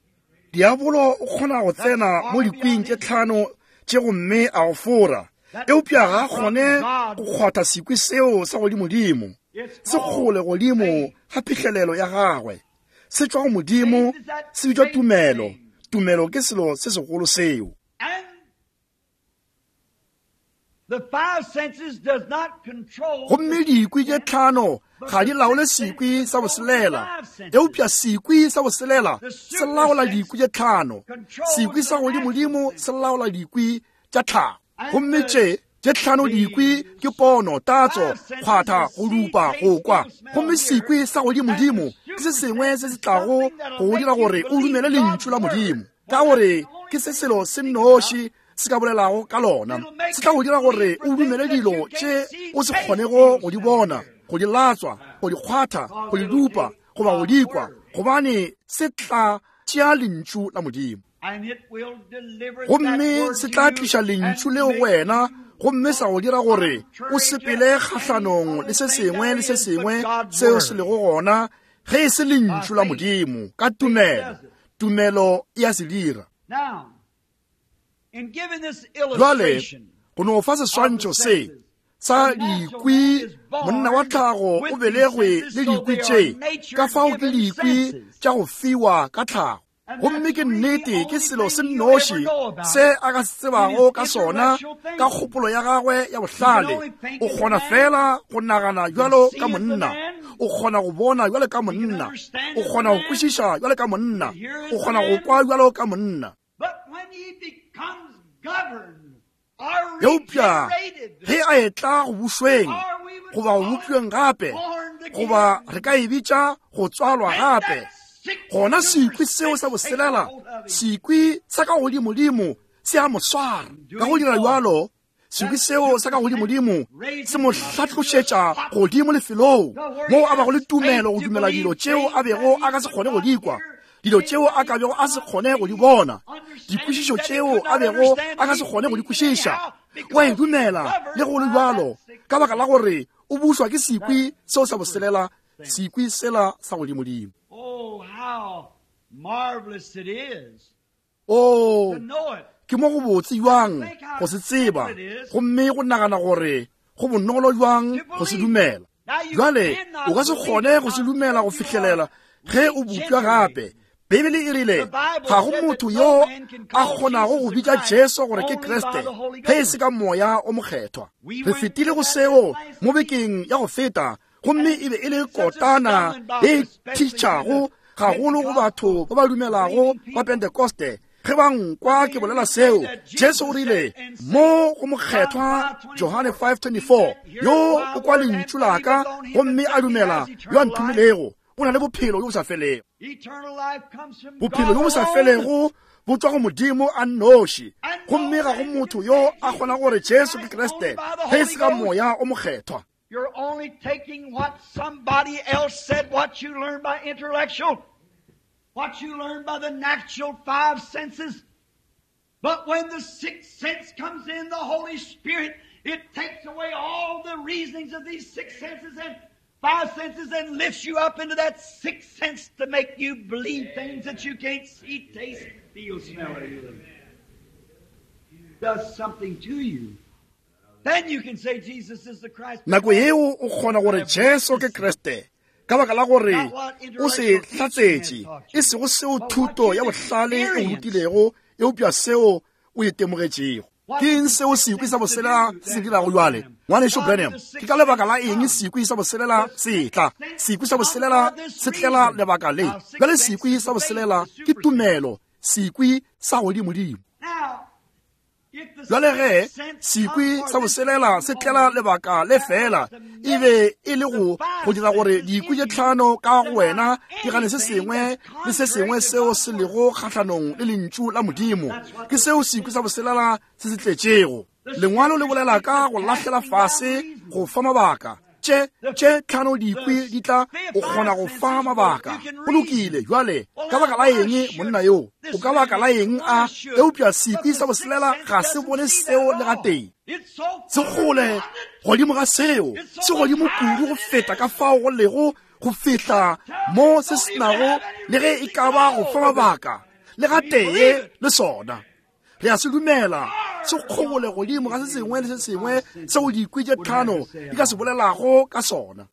A: Diabolo o kgona go tsena mo dikwing tše tlhano tše gomme a go fora, eupša ga a kgone go kgwatha sekwi seo sa godimodimo. Se kgole godimo ga phihlelelo ya gagwe. Se tšwa go Modimo, se bitšwa tumelo. Tumelo ke selo se segolo seo. Gomme dikwi tše tlhano ga di laole sekwi sa boselela, eupša sekwi sa boselela se laola dikwi tše tlhano. Sekwi sa godimodimo se laola dikwi tša tlhago. Gomme tše tše tlhano dikwi ke pono, tatso, kgwatha, go dupa, go kwa. Gomme sekwi sa godimodimo ke se sengwe se se tlago go go dira gore o dumele Lentšu la Modimo, ka gore ke se selo se nnoši se ka bolelago ka lona. Se tla go dira gore o dumele dilo tše o se kgonego go di bona, go di latswa, go di kgwatha, go di dupa, goba go di kwa, gobane se tla tšea Lentšu la Modimo. Gomme se tla tliša Lentšu leo go wena, gomme sa go dira gore o sepele kgahlanong le se sengwe le se sengwe seo se lego gona ge e se Lentšu la Modimo, ka tumelo. Tumelo e a se dira. Bjale, go no fa seswantšho se sa dikwi, monna wa tlhago o belegwe le dikwi tše, ka fao ke dikwi tša go fiwa ka tlhago. Gomme ke nnete ke selo se nnoši se a ka se tsebago ka sona, ka kgopolo ya gagwe ya bohlale. O kgona feela go nagana bjalo ka monna, o kgona go bona bjalo ka monna, o kgona go kwešiša bjalo ka monna, o kgona go kwa bjalo ka monna. Eupša ge a etla go bušweng goba go bopšweng gape, goba re ka e bitša go tswalwa gape, gona sekwi seo sa boselela, sekwi sa ka godimodimo se a mo swara. Ka go dira bjalo, sekwi seo sa ka godimodimo se mo hlatlošetša godimo lefelong moo a bago le tumelo go dumela dilo tšeo a bego a ka se kgone go di kwa, dilo tšeo a ka bego a se kgone go di bona, dikwešišo tšeo a bego a ka se kgone go di kwešiša. O a e dumela le go le bjalo, ka baka la gore o bušwa ke sekwi seo sa boselela, sekwi sela sa godimodimo. Oo, ke mo go botse bjang go se tseba, gomme go nagana gore go bonolo bjang go se dumela. Bjale, o ka se kgone go se dumela go fihlelela ge o bopša gape. Beibele e rile ga go motho yo a kgonago go bitša Jesu gore ke Kriste ge e se ka Moya o Mokgethwa. Re fetile go seo mo bekeng ya go feta, gomme e be e le kotana e thitšhago gagolo go batho ba ba dumelago ba Pentekoste. Ge ba nkwa ke bolela seo, Jesu o rile mo go mokgethwa Johane 5:24, yo o kwa lentšu la ka gomme a dumela yo a nthomilego, o na le bophelo bjo bo sa felego. Bophelo bjo bo sa felego bo tšwa go Modimo a nnoši, gomme ga go motho yo a kgona gore Jesu ke Kriste ge e se ka Moya o Mokgethwa.
B: You're only taking what somebody else said, what you learned by intellectual, what you learned by the natural five senses. But when the sixth sense comes in, the Holy Spirit, it takes away all the reasonings of these six senses and five senses and lifts you up into that sixth sense to make you believe things that you can't see, taste, feel, smell, or hear. Does something to you. Then you can say Jesus is the Christ.
A: Nako yeo o kgona gore Jesu ke Kriste ka baka la gore o se hlatsetše, e sego seo thuto ya bohlale e go rutilego, eupša seo o itemogetšego. Ke eng seo sekwi sa boselela se se dirago bjale? Ngwanešu Branham, ke ka lebaka la eng sekwi sa boselela se tla? Sekwi sa boselela se tlela lebaka le. Bjale sekwi sa boselela ke tumelo, sekwi sa godimodimo. Bjale ge sekwi sa boselela se tlela lebaka le fela, e be e le go go dira gore dikwi tše tlhano ka go wena di gane se sengwe le se sengwe seo se lego kgahlanong le lentšu la Modimo. Ke seo sekwi sa boselela se se tletšego. Lengwalo le bolela ka go lahlela fase go fa mabaka. Tše, tše tlhano dikwi di tla, o kgona go fa mabaka. Go lokile, bjale, ka baka la eng monna yo? O ka baka la eng a? Eupša sekwi sa boselela ga se bone seo le gatee. Se kgole godimo ga seo, se godimo kudu go feta ka fao go lego go fihla mo se se nago le ge e ka ba go fa mabaka le gatee le sona. Re a se dumela, se kgole godimo ga se sengwe le se sengwe seo dikwi tše tlhano di ka se bolelago ka sona.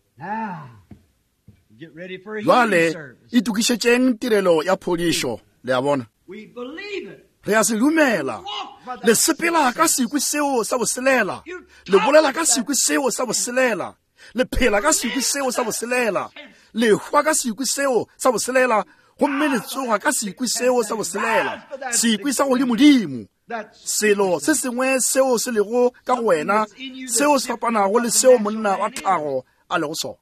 A: Bjale itokišetšeng tirelo ya phodišo, le a bona. Re a se dumela. Le sepela ka sekwi seo sa boselela, le bolela ka sekwi seo sa boselela, le phela ka sekwi seo sa boselela, le hwa ka sekwi seo sa boselela, gomme le tsoga ka sekwi seo sa boselela, sekwi sa godimodimo, selo se sengwe seo se lego ka go wena seo se fapanago le seo monna wa tlhago a lego sona.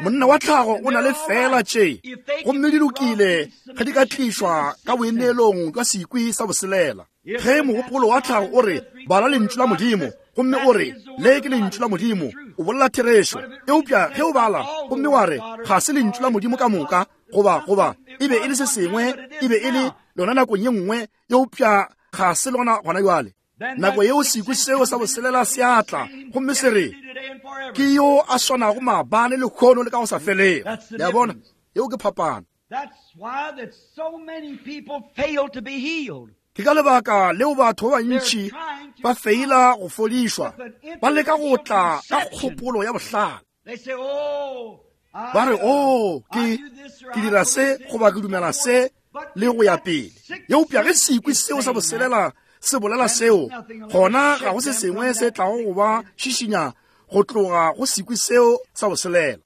A: Monna wa tlhago o na le feela tše, gomme di lokile ge di ka tlišwa ka boineelong jwa sekwi sa boselela. Ge mogopolo wa tlhago o re, bala lentšu la Modimo, gomme o re, le ke lentšu la Modimo, o bolela therešo. Eupša ge o bala gomme wa re, ga se lentšu la Modimo ka moka, goba, goba, e be e le se sengwe, e be e le lona nakong ye nngwe, eupša ga se lona gona bjale. Nako yeo sekwi seo sa boselela se a tla, gomme se re, ke yo a swanago maabane, lehono, le ka go sa felego. Le a bona? Yeo ke phapano. Ke ka lebaka leo batho ba bantši ba feila go fodišwa, ba leka go tla ka kgopolo ya bohlale. Ba re, Oo, ke, ke dira se goba ke dumela se, le go ya pele. Eupša ge sekwi seo sa boselela se bolela seo, gona ga go se sengwe se tlago go ba šišinya go tloga go sekwi seo sa boselela.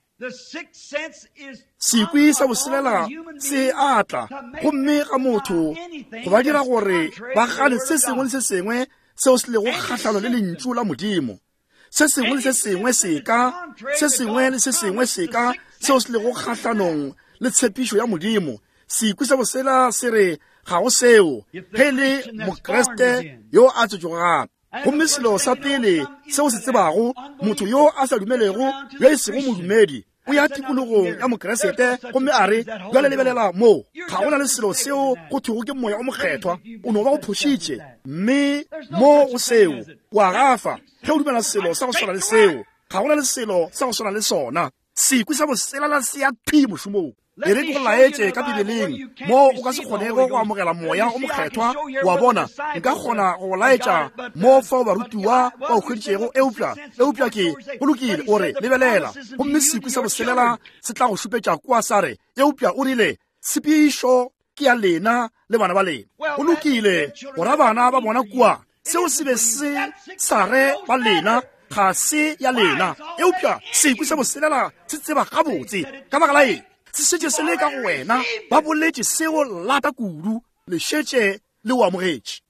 A: Sekwi sa boselela se a tla gomme ga motho go ba dira gore ba gane se sengwe le se sengwe seo se lego kgahlano le lentšu la Modimo. Se sengwe le se sengwe seka, se sengwe le se sengwe seka seo se lego kgahlanong le tshepišo ya Modimo. Sekwi sa bosela se re ga go seo, ge e le Mokriste yo a tswetšwego gape. Gomme selo sa pele seo se tsebago, motho yo a sa dumelego, yo e sego modumedi, o ya tikologong ya Mokriste gomme a re, Bjale lebelela mo, ga go na le selo seo go thwego ke Moya o Mokgethwa. O no ba o phošitše. Mme mo go seo, o a gafa ge o dumela selo sa go swana le seo. Ga go na le selo sa go swana le sona. Sekwi sa boselala se ya thwi mošomong. E re ke go laetše ka Bibeleng mo o ka se kgonego go amogela Moya o Mokgethwa. Wa bona, nka kgona go go laetša mo fao barutiwa ba o hweditšego, eupša, eupša ke, go lokile, o re, lebelela, gomme sekwi sa boselela se tla go šupetša kua sa re, eupša o rile, tshepišo ke ya lena le bana ba lena. Go lokile, go ra bana ba bona kua, seo se be se sa re ba lena, ga se ya lena. Eupša sekwi sa boselela se tseba gabotse. Ka baka la eng? Se šetše se le ka go wena. Ba boletše seo lata kudu, le šetše le o amogetše.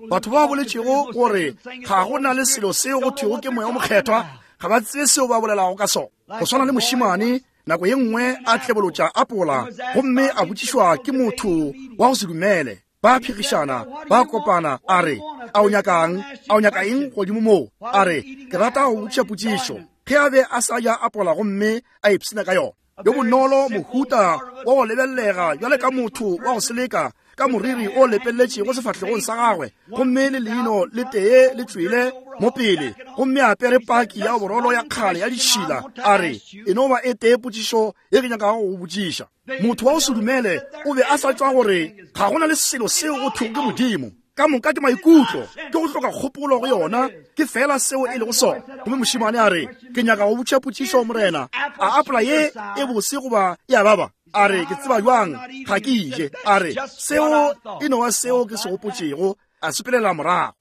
A: Batho ba boletšego gore ga go na le selo seo go thwego ke Moya o Mokgethwa, ga ba tsebe seo ba bolelago ka sona. Go swana le mošemane nako ye nngwe a tlebolotša apola gomme a botšišwa ke motho wa go se dumele. Ba phegišana, ba kopana, a re, A o nyakang? A o nyaka eng godimo moo? A re, Ke rata go botšiša potšišo. Ge a be a sa ja apola gomme a ipshina ka yona. Yo bonolo, mohuta wa go lebelelega bjale ka motho wa go seleka. ka moriri o lepeletšego sefahlegong sa gagwe gomme le leino le tee le tšwele mo pele gomme a apere paki ya borolo ya kgale ya ditšhila a re e no ba e tee potšišo ye ke nyakago go botšiša motho wa go se dumele o be a sa tšwa gore ga go na le selo seo go thwego ke modimo ka moka ke maikutlo ke go hloka kgopolo go yona ke fela seo e lego sona gomme mošemane a re ke nyaka go botša potšišo morena a apola ye e bose goba e a baba a re ke tseba jwang ga ke ije a re seo e no wa seo ke se gopotšego a sepelela morago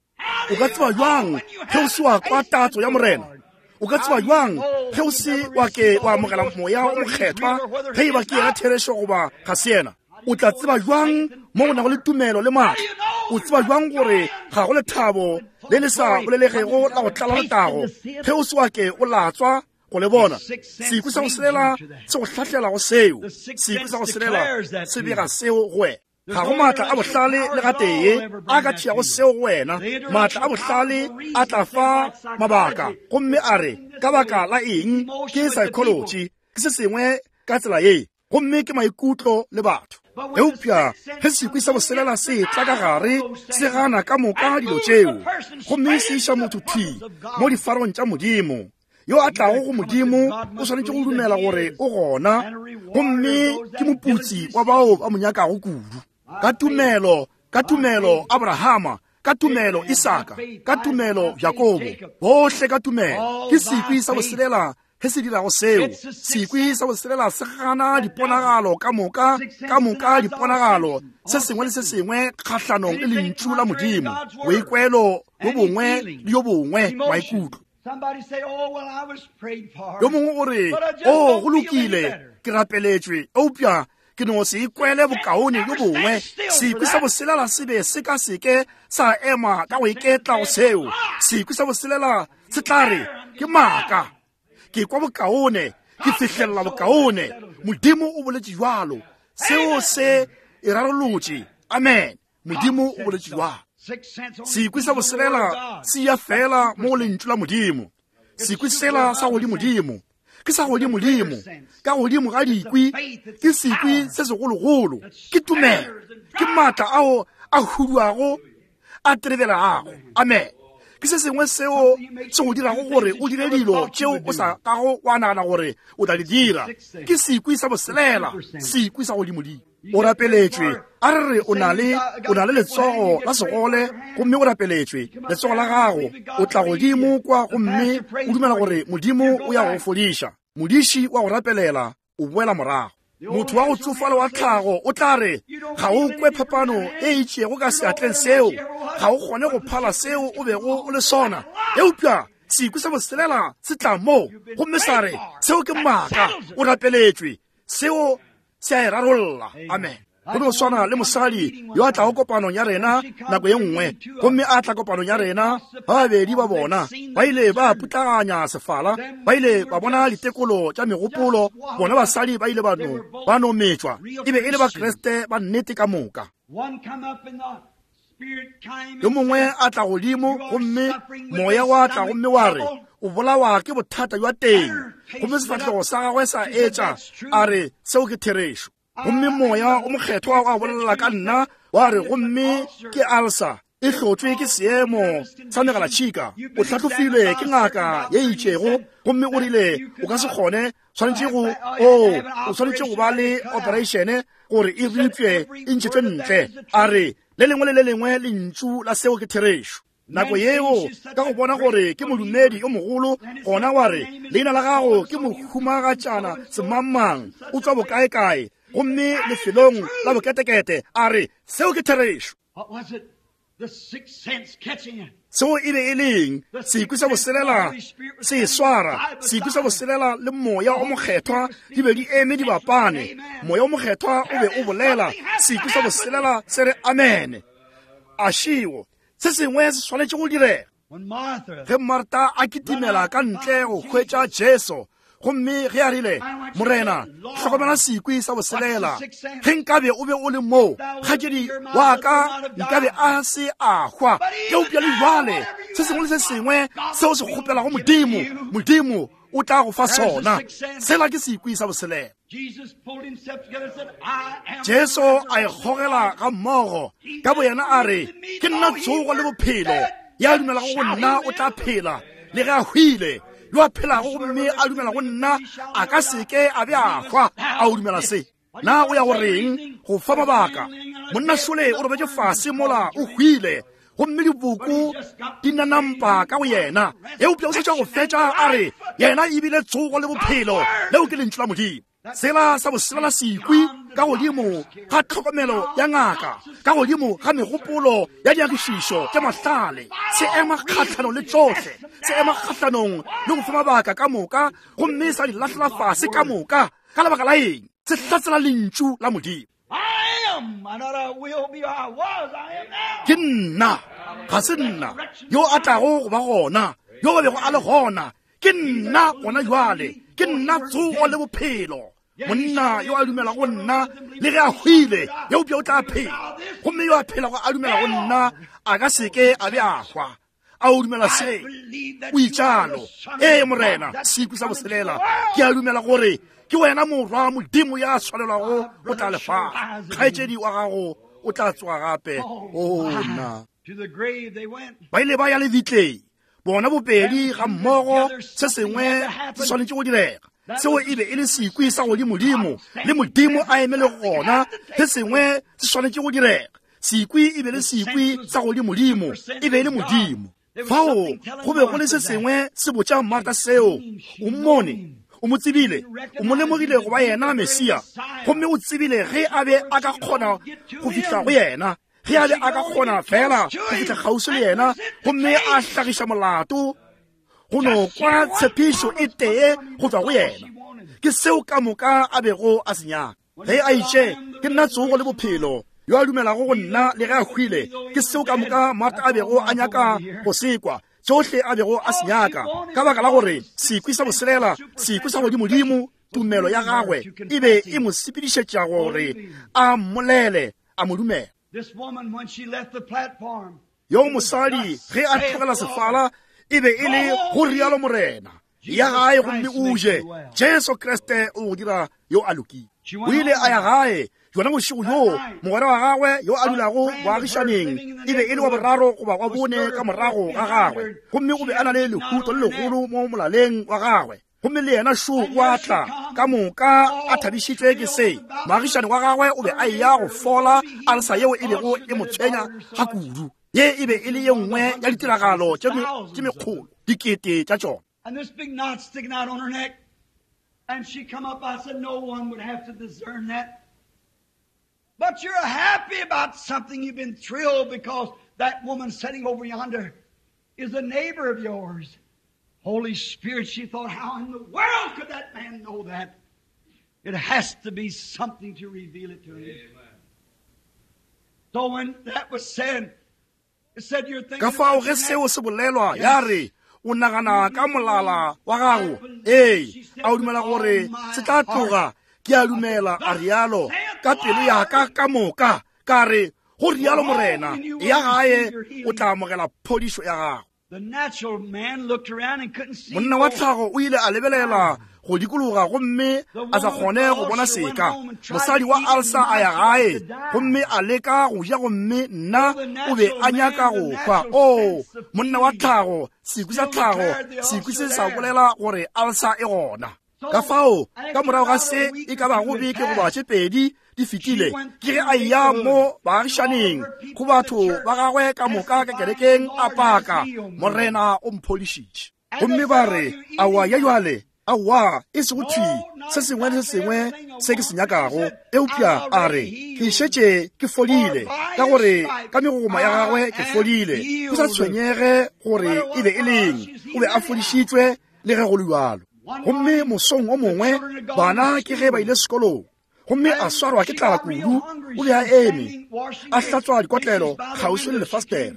A: o ka tseba jwang ge o se wa kwa tatso ya morena o ka tseba jwang ge o se wa ke wa amogela moya o mokgethwa ge e ba ke yena therešo goba ga se yena o tla tseba jwang mo go nago le tumelo le maatla o tseba jwang gore ga go lethabo le le sa bolelegego la go tlala letago ge o se wa ke o latswa go le bona sekwi sa go selela se go hlahlela go seo sekwi sa go selela se bega seo go wena ga go maatla a bohlale le gatee a ka tšeago seo go wena maatla a bohlale a tla fa mabaka gomme a re ka baka la eng ke psychology ke se sengwe ka tsela ye gomme ke maikutlo le batho eupša ge sekwi sa boselela se tla ka gare se gana ka moka dilo tšeo gomme se iša motho thwi mo difarong tša modimo yo a tlago go modimo o swanetše go dumela gore o gona gomme ke moputsi wa bao ba mo nyakago kudu ka tumelo ka tumelo abrahama ka tumelo isaka ka tumelo jakobo bohle ka tumelo ke sekwi sa boselela ge se dirago seo sekwi sa boselela se gana diponagalo ka moka ka moka diponagalo se sengwe le se sengwe kgahlanong le lentšu la modimo boikwelo bo bongwe le yo bongwe maikutlo
B: Oh,
A: yo mongwe o re o oh, go lokile ke rapeletšwe eupša ke no se ikwele bokaone bjo bongwe sekwi sa boselela se be se ka seke sa ema ka go iketla go seo sekwi sa boselela se tla re ke maaka ke kwa bokaone ke fihlelela bokaone modimo o boletše jalo seo se e rarolotše amen modimo o boletše jwang sekwi sa boselela se ya fela mo go lentšu la modimo sekwi sela sa godimodimo ke sa godimodimo ka godimo ga dikwi ke sekwi se segologolo ke tumelo ke maatla ao a huduago a trebelago amen ke se sengwe seo se go dirago gore o dire dilo tšeo o sa kago wa nagana gore o tla di dira ke sekwi sa boselela sekwi sa godimodimo o rapeletšwe a re re o na le o na le letsogo la segole gomme o rapeletšwe letsogo la gago o tla godimo kwa gomme o dumela gore modimo o ya go fodiša modiši wa go rapelela o boela morago motho wa go tsofala wa tlhago o tla re ga o kwe phapano e itšego ka seatleng seo ga o kgone go phala seo o bego o le sona eupša sekwi sa boselela se tla moo gomme sa re seo ke maaka o rapeletšwe seo se a e rarolla amen go no swana le mosadi yo a tlago kopanong ya rena nako ye nngwe gomme a tla kopanong ya rena ba babedi ba bona ba ile ba putlaganya sefala ba ile ba bona ditekolo tša megopolo bona basadi ba ile ba no ba no metšwa e be e le bakriste ba nnete ka moka yo mongwe a tla godimo gomme moya wa tla gomme wa re o bolawa ke bothata jwa teng gomme sefahlego sa gagwe sa etša a re seo ke therešo gomme moya o mokgethwa wa bolela ka nna wa re gomme ke alsa e hlotšwe ke seemo sa megalatšhika o hlahlofilwe ke ngaka ye itšego gomme o rile o ka se kgone swanetše go o o swanetše go ba le operation gore e ripše e ntšhetšwe ntle a re le lengwe le le lengwe lentšu la seo ke therešo nako yeo ka go bona gore ke modumedi yo mogolo gona wa re leina la gago ke mohumagatšana semangmang o tswa bokaekae gomme lefelong la boketekete a re seo ke therešo Seo e be e leng sekwi sa boselela se e swara sekwi sa boselela le moya o mokgethwa di be di eme di bapane moya o mokgethwa o be o bolela sekwi sa boselela se re amene a šeo se sengwe se swanetše go direga ge marta a kitimela ka ntle go hwetša jesu gomme ge a rile morena hlokomela sekwi sa boselela ge nkabe o be o le moo kgatšedi wa ka nkabe a se a hwa eupša le jale se sengwe le se sengwe seo se kgopelago modimo modimo o tla go fa sona sela ke sekwi sa boselela. Jesu a ikgogela ga mmogo ka boyena a re, Ke nna tsogo le bophelo, ya dumelago go nna o tla phela le ge a hwile. Yo a phelago gomme a dumela go nna a ka seke a be a hwa. A o dumela se? Na o ya go reng go fa mabaka? Monna šole o robetše fase mola o hwile, gomme diboko di nanampa ka go yena, eupša o sa tšwa go fetša a re yena e bile tsogo le bophelo. Leo ke lentšu la Modimo. Sela sa boselela sekwi ka godimo ga tlhokomelo ya ngaka, ka godimo ga megopolo ya diagišišo tša mahlale, se ema kgahlanong le tšohle, se ema kgahlanong le go fa mabaka ka moka, gomme sa di lahlela fase ka moka. Ka lebaka la eng? Se hlatsela lentšu la Modimo. Ke nna, ga se nna yo a tlago go ba gona, yo ba bego a le gona. Ke nna gona jwale, ke nna tsogo le bophelo. Monna yo a dumela go nna, le ge a hwile, eupša o tla phela. Gomme yo a phelago a dumela go nna, a ka seke a be a hwa. A o dumela se? O itšalo. Ee, Morena, sekwi sa boselela, ke a dumela gore ke wena morwa Modimo ya tshwanelwago go tla lefase. Kgaetšedi wa gago o tla tsoga gape. O nna. Ba ile ba ya lebitleng, bona bobedi ga mmogo. Se sengwe se swanetše go direga. Seo e be e le sekwi sa godimodimo, le Modimo a eme le gona. Se sengwe se swanetše go direga. Sekwi e be le sekwi sa godimodimo, e be e le Modimo. Fao go be go le se sengwe se botša Martha seo. O mmone, o mo tsebile, o mo lemogile go ba yena Mesia, gomme o tsebile ge a be a ka kgona go fihla go yena, ge a be a ka kgona fela go fihla kgauswi le yena gomme a hlagiša molato, go no kwa tshepišo e tee go tšwa go yena. Ke seo ka moka a bego a se nyaka. Ge a itše, Ke nna tsogo le bophelo, yo a dumelago go nna le ge a hwile, ke seo ka moka Martha a bego a nyaka go se kwa, tšohle a bego a se nyaka, ka baka la gore sekwi sa boselela, sekwi sa godimodimo, tumelo ya gagwe e be e mo sepedišetša gore a mmolele, a mo dumela. Yo mosadi ge a tlogela sefala e be e le go rialo Morena, ya gae gomme o je. Jesu Kriste o go dira yo a lokile. O ile a ya gae jona bošego bjoo. Mogwera wa gagwe yo a dulago boagišaneng e be e le wa boraro goba wa bone ka morago ga gagwe, gomme o be a na le lehuto le legolo mo molaleng wa gagwe. Gomme le yena šo o a tla, ka moka a thabišitšwe ke se. Moagišani wa gagwe o be a eya go fola alsa yeo e bego e mo tshwenya ga kudu. Ye e be e le ye nngwe ya ditiragalo tše mekgolo dikete tša tšona.
B: And this big knot sticking out on her neck. And she come up, I said, no one would have to discern that. But you're happy about something. You've been thrilled because that woman sitting over yonder is a neighbor of yours. Holy Spirit, she thought, how in the world could that man know that? It has to be something to reveal it to him. Amen. So when that was said, it said you're thinking
A: Ka fao ge seo se bolelwa, ya re, o nagana ka molala wa gago. Ee, a o dumela gore se tla tloga? Ke a dumela, a rialo, ka pelo ya ka ka moka. Ka re, go rialo Morena, ya gae o tla amogela phodišo ya gago. Monna wa tlhago o ile a lebelela go dikologa gomme a sa kgone go bona seka. Mosadi wa alsa a ya gae gomme a leka go ja, gomme nna o be a nyaka go hwa. O monna wa tlhago, sekwi sa tlhago, sekwi se sa bolela gore alsa e gona. Ka fao, ka morago ga se e ka bago beke goba tše pedi di fetile, ke ge a eya mo baagišaneng go batho ba gagwe ka moka ka kerekeng, a paka, Morena o mphodišitše. Gomme ba re, Aowa, ya jwale, aowa, e sego thwi se sengwe le se sengwe se ke se nyakago, eupša a re, ke šetše ke fodile, ka gore ka megogoma ya gagwe ke fodile. Go sa tshwenyege gore e be e leng, o be a fodišitšwe le ge go le bjalo. Gomme mosong o mongwe bana ke ge ba ile sekolong, gomme a swarwa ke tlala kudu. O be a eme a hlatswa dikotlelo kgauswi le lefastere.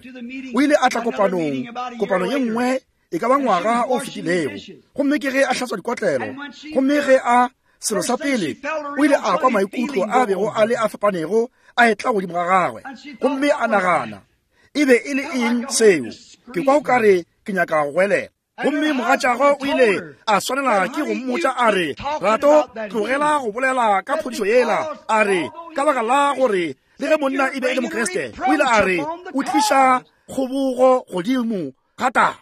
A: O ile a tla kopanong, kopano ye nngwe e ka ba ngwaga o fetilego, gomme ke ge a hlatswa dikotlelo. Gomme ge a selo sa pele, o ile a kwa maikutlo a bego a le a fapanego a etla godimo ga gagwe, gomme a nagana, e be e le eng seo? Ke kwa o ka re ke nyaka go goelela. Gomme mogatšagwe o ile a swanela ke go mmotša a re, Rato, tlogela go bolela ka phodišo yela. A re, ka baka la gore le ge monna e be e le Mokriste, o ile a re, o tliša kgobogo godimo ga taba.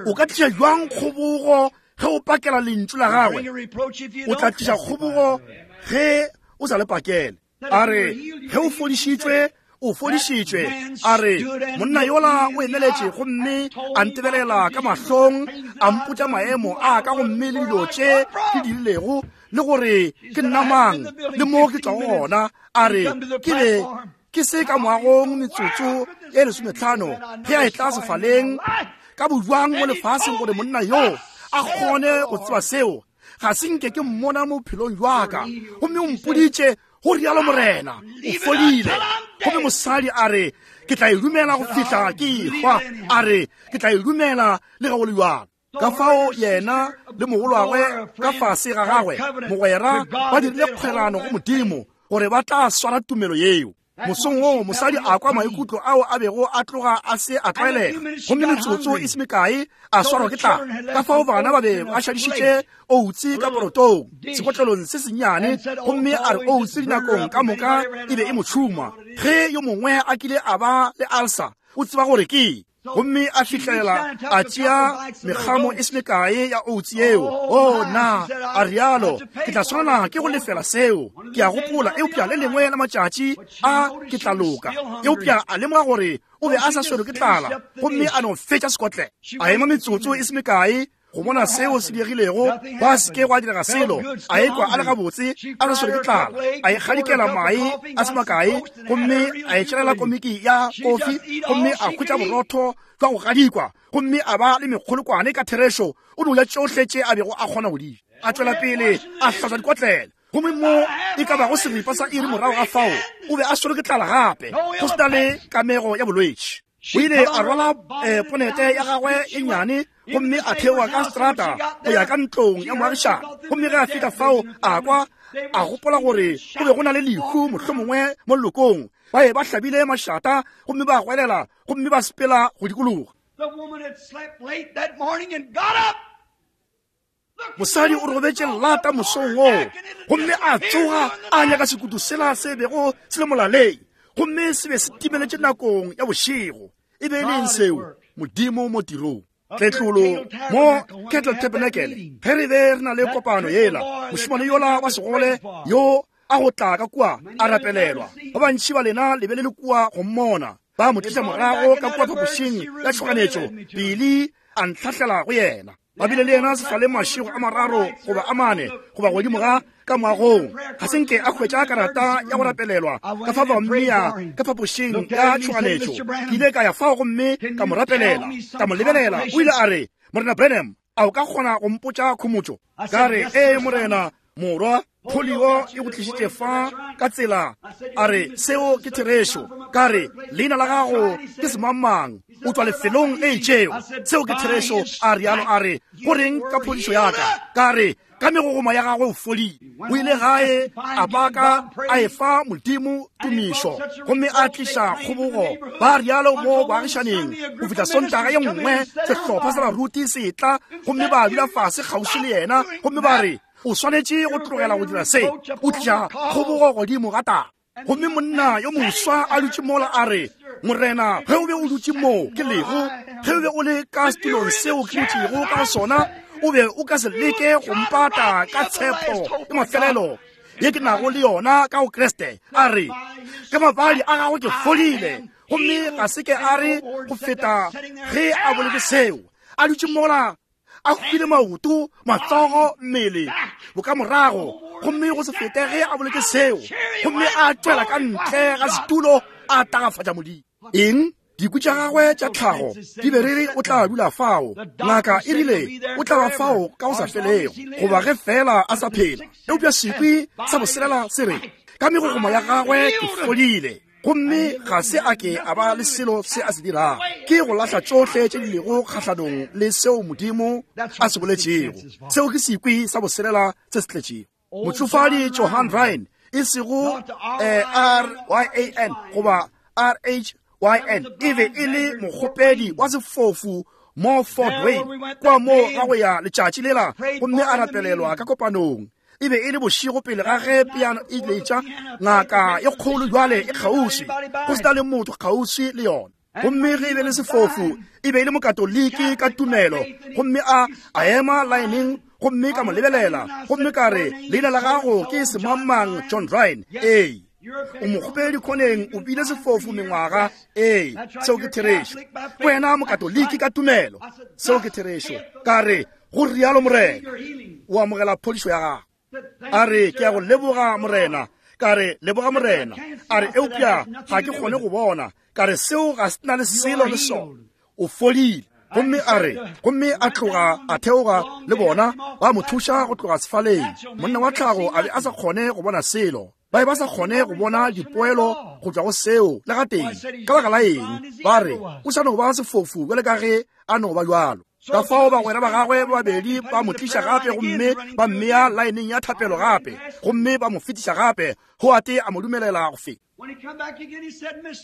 A: O ka tliša bjang kgobogo ge o pakela lentšu la gagwe? O tla tliša kgobogo ge o sa le pakele. A re, ge o fodišitšwe, o fodišitšwe. A re, monna yola o emeletše gomme a ntebelela ka mahlong, a mpotša maemo a ka gomme le dilo tše ke di dirilego, le gore ke nna mang, le mo ke tšwago gona. A re, ke be ke se ka moagong metsotso e lesometlhano ge a etla sefaleng ka bojwang mo lefaseng gore monna yoo a kgone go tseba seo. Ga se nke ke mmona mo bophelong jwa ka, gomme o mpoditše go rialo Morena, o fodile. Gomme mosadi a re, ke tla e dumela go fihla ke ehwa. A re, ke tla e dumela le ge go le bjalo. Ka fao yena le mogolwagwe ka fase ga gagwe mogwera ba dirile kgwerano go Modimo gore ba tla swara tumelo yeo. Mosong woo mosadi a kwa maikutlo ao a bego a tloga a se a tlwaelega, gomme metsotso e se mekae a swarwa ke tlala. Ka fao bana ba be ba šadišitše outse ka porotong sekotlelong se sennyane, gomme a re outse dinakong ka moka e be e mo tšhuma. Ge yo mongwe a kile a ba le alsa, o tseba gore ke. Gomme a fihlela a tšea mekgamo e se mekae ya outse yeo. O na, a rialo, ke tla swanela ke go lefela seo. Ke a gopola, eupša le lengwe la matšatši a ke tla loka. Eupša a lemoga gore o be a sa swerwe ke tlala, gomme a no fetša sekotlelo. A ema metsotso e se mekae go bona seo se diregilego, gwa se ke gwa direga selo. A ekwa a le gabotse, a sa swerwe ke tlala. A ikgadikela mae a se makae, gomme a itšelela komiki ya kofi, gomme a hwetša borotho jwa go gadikwa, gomme a ba le mekgolokwane. Ka therešo o no ja tšohle tše a bego a kgona go di ja. A tšwela pele a hlatswa dikotlelo, gomme mo e ka bago seripa sa iri morago ga fao o be a swerwe ke tlala gape, go se na le kamego ya bolwetši. O ile a rwala ponete ya gagwe e nnyane gomme a theoga ka strata go ya ka ntlong ya moagišane. Gomme ge a fihla fao, a kwa a gopola gore go be go na le lehu mohlomongwe mo lelokong. Ba be ba hlabile mašata gomme ba goelela gomme ba sepela go dikologa. Mosadi o robetše lata mosong woo, gomme a tsoga a nyaka sekutu sela se bego se le molaleng, gomme se be se timeletše nakong ya bošego. E be e le eng seo? Modimo mo tirong. Tletlolo mo Kettle Tabernacle, ge re be re na le kopano yela, mošemane yola wa segole yo a go tla ka kua a rapelelwa. Ba bantši ba lena le be le le kua go mmona. Ba mo tliša morago ka kua phapošing ya tšhoganetšo, Billy a ntlhahlela go yena. Ba bile le yena sefaleng mašego a mararo goba a mane goba godimo ga ka moagong. Ga se nke a hwetša karata ya go rapelelwa, ka fa ba mmea ka phapošing ya tšhoganetšo. Ke ile ka ya fao gomme ka mo rapelela, ka mo lebelela. O ile a re, Morena Branham, a o ka kgona go mpotša khomotšo? Ka re, Ee, Morena, morwa, polio e go tlišitše fa ka tsela. A re, Seo ke therešo. Ka re, Leina la gago ke semangmang, o tšwa lefelong le itšego. Seo ke therešo. A rialo. A re, Go reng ka phodišo ya ka? Ka re, Ka megogoma ya gagwe o fodile. O ile gae a baka a efa Modimo tumišo gomme a tliša kgobogo. Ba rialo mo boagišaneng go fihla Sontaga ye nngwe sehlopha sa baruti se etla gomme ba dula fase kgauswi le yena gomme ba re, O swanetše go tlogela go dira se, o tliša kgobogo godimo ga taba. Gomme monna yo moswa a dutše mola a re, Morena, ge o be o dutše moo ke lego, ge o be o le ka setulong seo ke dutšego ka go sona, o be o ka se leke go mpata ka tshepo ya mafelelo ye ke nago le yona ka go Kriste. A re, Ka mabadi a gago ke fodile. Gomme ga se ke a re go feta ge a boletše seo, a dutše mola a hwile maoto, matsogo, mmele bokamorago, gomme go se fete ge a boletse seo, gomme a tšwela ka ntle ga setulo a tagafatša Modimo. Eng? Dikwi tša gagwe tša tlhago di be re re o tla dula fao. Ngaka e rile o tla ba fao ka go sa felego, goba ge fela a sa phela. Eupša sekwi sa boselela se re, Ka megogoma ya gagwe ke fodile. Gomme ga se a ke a ba le selo se a se dirago, ke go lahla tšohle tše di lego kgahlanong le seo Modimo a se boletšego. Seo ke sekwi sa boselela se se tletšego. Motšofadi Johan Ryan, e sego R-Y-A-N goba R-H-Y-A-N. Y N e be e le mokgopedi wa sefofu mo Fort Wayne kwa mo ga go ya letšatši lela, gomme a rapelelwa ka kopanong. E be e le bošego pele ga ge piano e letša, ngaka e kgolo jwale e kgauswi, go se na le motho kgauswi le yona. Gomme ge e be le sefofu, e be e le mokatoliki ka tumelo, gomme a a ema laeneng, gomme ka mo lebelela, gomme ka re, leina la gago ke semangmang John Ryan. Ee, o mokgopedi khoneng, o bile sefofu mengwaga. Ee, seo ke therešo. Wena mokatoliki ka tumelo, seo ke therešo. Ka re, go rialo Morena, o amogela phodišo ya gago. A re, ke ya go leboga Morena. Ka re, leboga Morena. A re, eupša ga ke kgone go bona. Ka re, seo ga se na le selo le sona. O fodile. Gomme a re, gomme a tloga a theoga le bona, ba mo thuša go tloga sefaleng. Monna wa tlhago a be a sa kgone go bona selo. Ba be ba sa kgone go bona dipoelo go tšwa go seo le gatee. Ka baka la eng? Ba re, o sa no ba sefofu bjale ka ge a no ba bjalo. Ka fao bagwera ba gagwe ba babedi ba mo tliša gape gomme ba mmea laeneng ya thapelo gape, gomme ba mo fetiša gape. Hoate a mo dumelela go feta.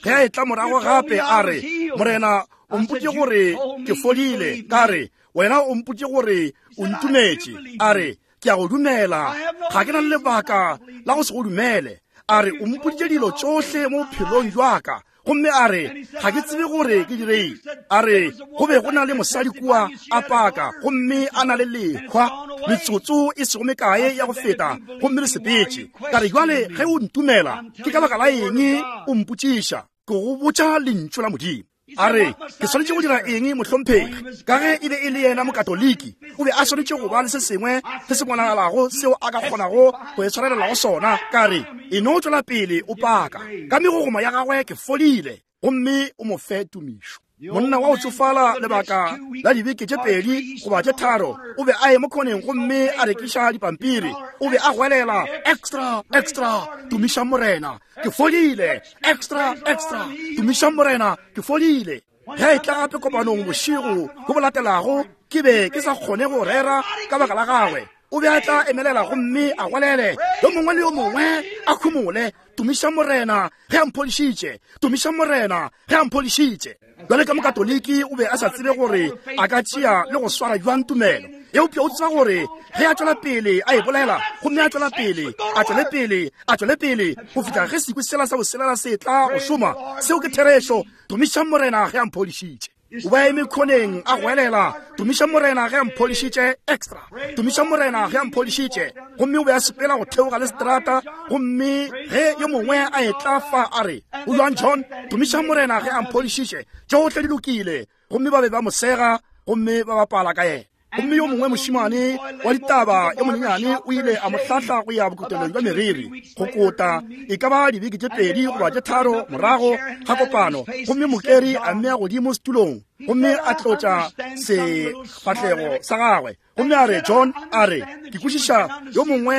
A: Ge a etla morago gape a re, Morena, o mpotše gore ke fodile. Ka re, Wena o mpotše gore o ntumetše. A re, Ke a go dumela. Ga ke na le lebaka la go se go dumele. A re, O mpoditše dilo tšohle mo bophelong bja ka. Gomme a re, Ga ke tsebe gore ke direng. A re, Go be go na le mosadi kua a paka, gomme a na le lehwa, metsotso e sego mekae ya go feta, gomme le sepetše. Ka re, Bjale ge o ntumela, ke ka baka la eng o mpotšiša? Ke go botša Lentšu la Modimo. A re, Ke swanetše go dira eng, mohlomphegi? Ka ge e be e le yena Mokatoliki, o be a swanetše go ba le se sengwe se se bonagalago seo a ka kgonago go e tshwarelela go sona. Ka re, E no tšwela pele o paka. Ka megogoma ya gagwe ke fodile, gomme o mo fe tumišo. Monna wa go tšofala lebaka la dibeke tše pedi goba tše tharo o be a eme khoneng gomme a rekiša dipampiri. O be a goelela, Extra, extra, tumiša Morena, ke fodile. Extra, extra, tumiša Morena, ke fodile. Ge e tla gape kopanong bošego bo bo latelago, ke be ke sa kgone go rera ka baka la gagwe. O be a tla emelela gomme a gwalele, yo mongwe le yo mongwe a khumole, tumiša Morena ge a mphodišitše, tumiša Morena ge a mphodišitše. Bjale ka Mokatoliki o be a sa tsebe gore a ka tšea le go swara bjang tumelo, eupša o tseba gore ge a tšwela pele a e bolela, gomme a tšwela pele, a tšwele pele, a tšwele pele go fihla ge sekwi sela sa boselela se tla go šoma, seo ke therešo, tumiša Morena ge a mphodišitše. O ba eme khoneng a goelela, tumiša Morena ge a mphodišitše, extra, tumiša Morena ge a mphodišitše. Gomme o be a sepela go theoga le seterata, gomme ge yo mongwe a etla fa a re, O bjang John? Tumiša Morena ge a mphodišitše, tšohle di lokile. Gomme ba be ba mo sega gomme ba bapala ka yena. Gomme yo mongwe mošemane wa ditaba yo monyenyane o ile a mo hlahla go ya bokotelong bja meriri go kota e ka ba dibeke tše pedi goba tše tharo morago ga kopano, gomme mokeri a mmea godimo setulong gomme a tlotša sefahlego sa gagwe gomme a re, John, a re, ke kwešiša yo mongwe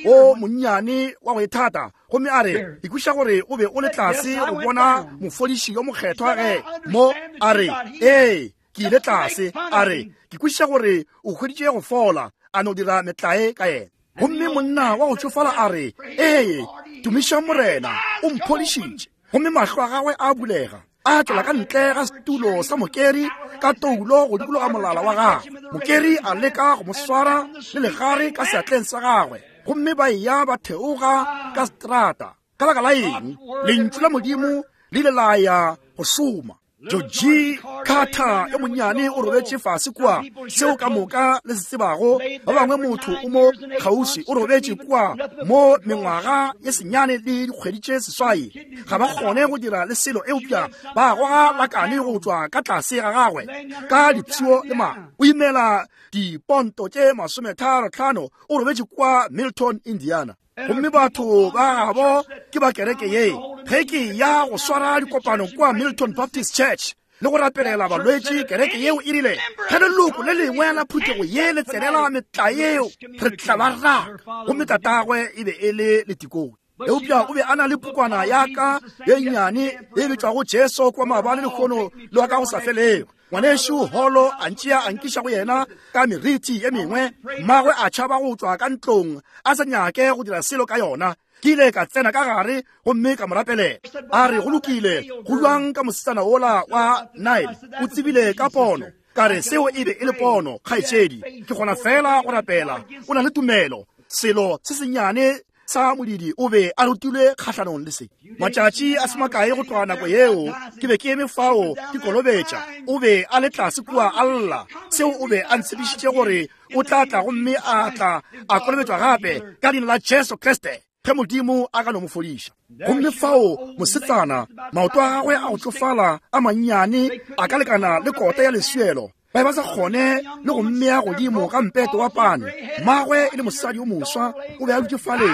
A: o monnyane wa go ithata, gomme a re, ke kwešiša gore o be o le tlase go bona mofodiši yo mokgethwa ge mo, a re, ee, ke ile tlase, a re, ke kwešiša gore o hweditše go fola, a no dira metlae ka yena. Gomme monna wa go tšofala a re, ee, tumiša Morena, o mphodišitše. Gomme mahlo a gagwe a bulega, a tšwela ka ntle ga setulo sa mokeri ka toulo go dikologa molala wa gagwe. Mokeri a leka go mo swara le legare ka seatleng sa gagwe, gomme ba eya ba theoga ka seterata. Ka baka la eng? Lentšu la Modimo le ile la ya go šoma. Georgie Carter yo monnyane o robetše fase kua, seo ka moka le se tsebago. Ba bangwe motho o mo kgauswi o robetše kua mo mengwaga ye senyane le dikgwedi tše seswai, ga ba kgone go dira le selo eupša ba goga lakane go tšwa ka tlase ga gagwe ka dipshio le ma. O imela diponto tše 35, o robetše kua Milton, Indiana. Gomme batho ba gabo ke ba kereke ye. Ge ke ya go swara dikopano kua Milton Baptist Church le go rapelela balwetši, kereke yeo e rile, ge leloko le lengwe la phuthego ye le tsenela metla yeo, re tla ba raka. Gomme tatagwe e be e le letikone, eupša o be a na le pukwana ya ka ye nnyane ye bitšwago Jesu kwa maabane lehono le wa ka go sa felego. Ngwanešu Holo a ntšea a nkiša go yena ka meriti ye mengwe. Mmagwe a tšhaba go tšwa ka ntlong a sa nyake go dira selo ka yona. Ke ile ka tsena ka gare gomme ka mo rapelela. A re, Go lokile, go bjang ka mosetsana wola wa Nile? O tsebile ka pono. Ka re, Seo e be e le pono, kgaetšedi. Ke kgona feela go rapela. O na le tumelo. Selo se sennyane sa modidi o be a rutilwe kgahlanong le se. Matšatši a se makae go tloga nako yeo, ke be ke eme fao ke kolobetša. O be a le tlase kua a lla. Seo o be a ntshepišitše gore o tla tla gomme a tla a kolobetšwa gape ka leina la Jesu Kriste, ge Modimo a ka no mo fodiša. Gomme fao mosetsana, maoto a gagwe a go tšofala a mannyane a ka lekana le kota ya leswielo, ba be ba sa kgone le go mmea godimo ga mpeto wa pane. Mmagwe e le mosadi yo moswa, o be a dutše fale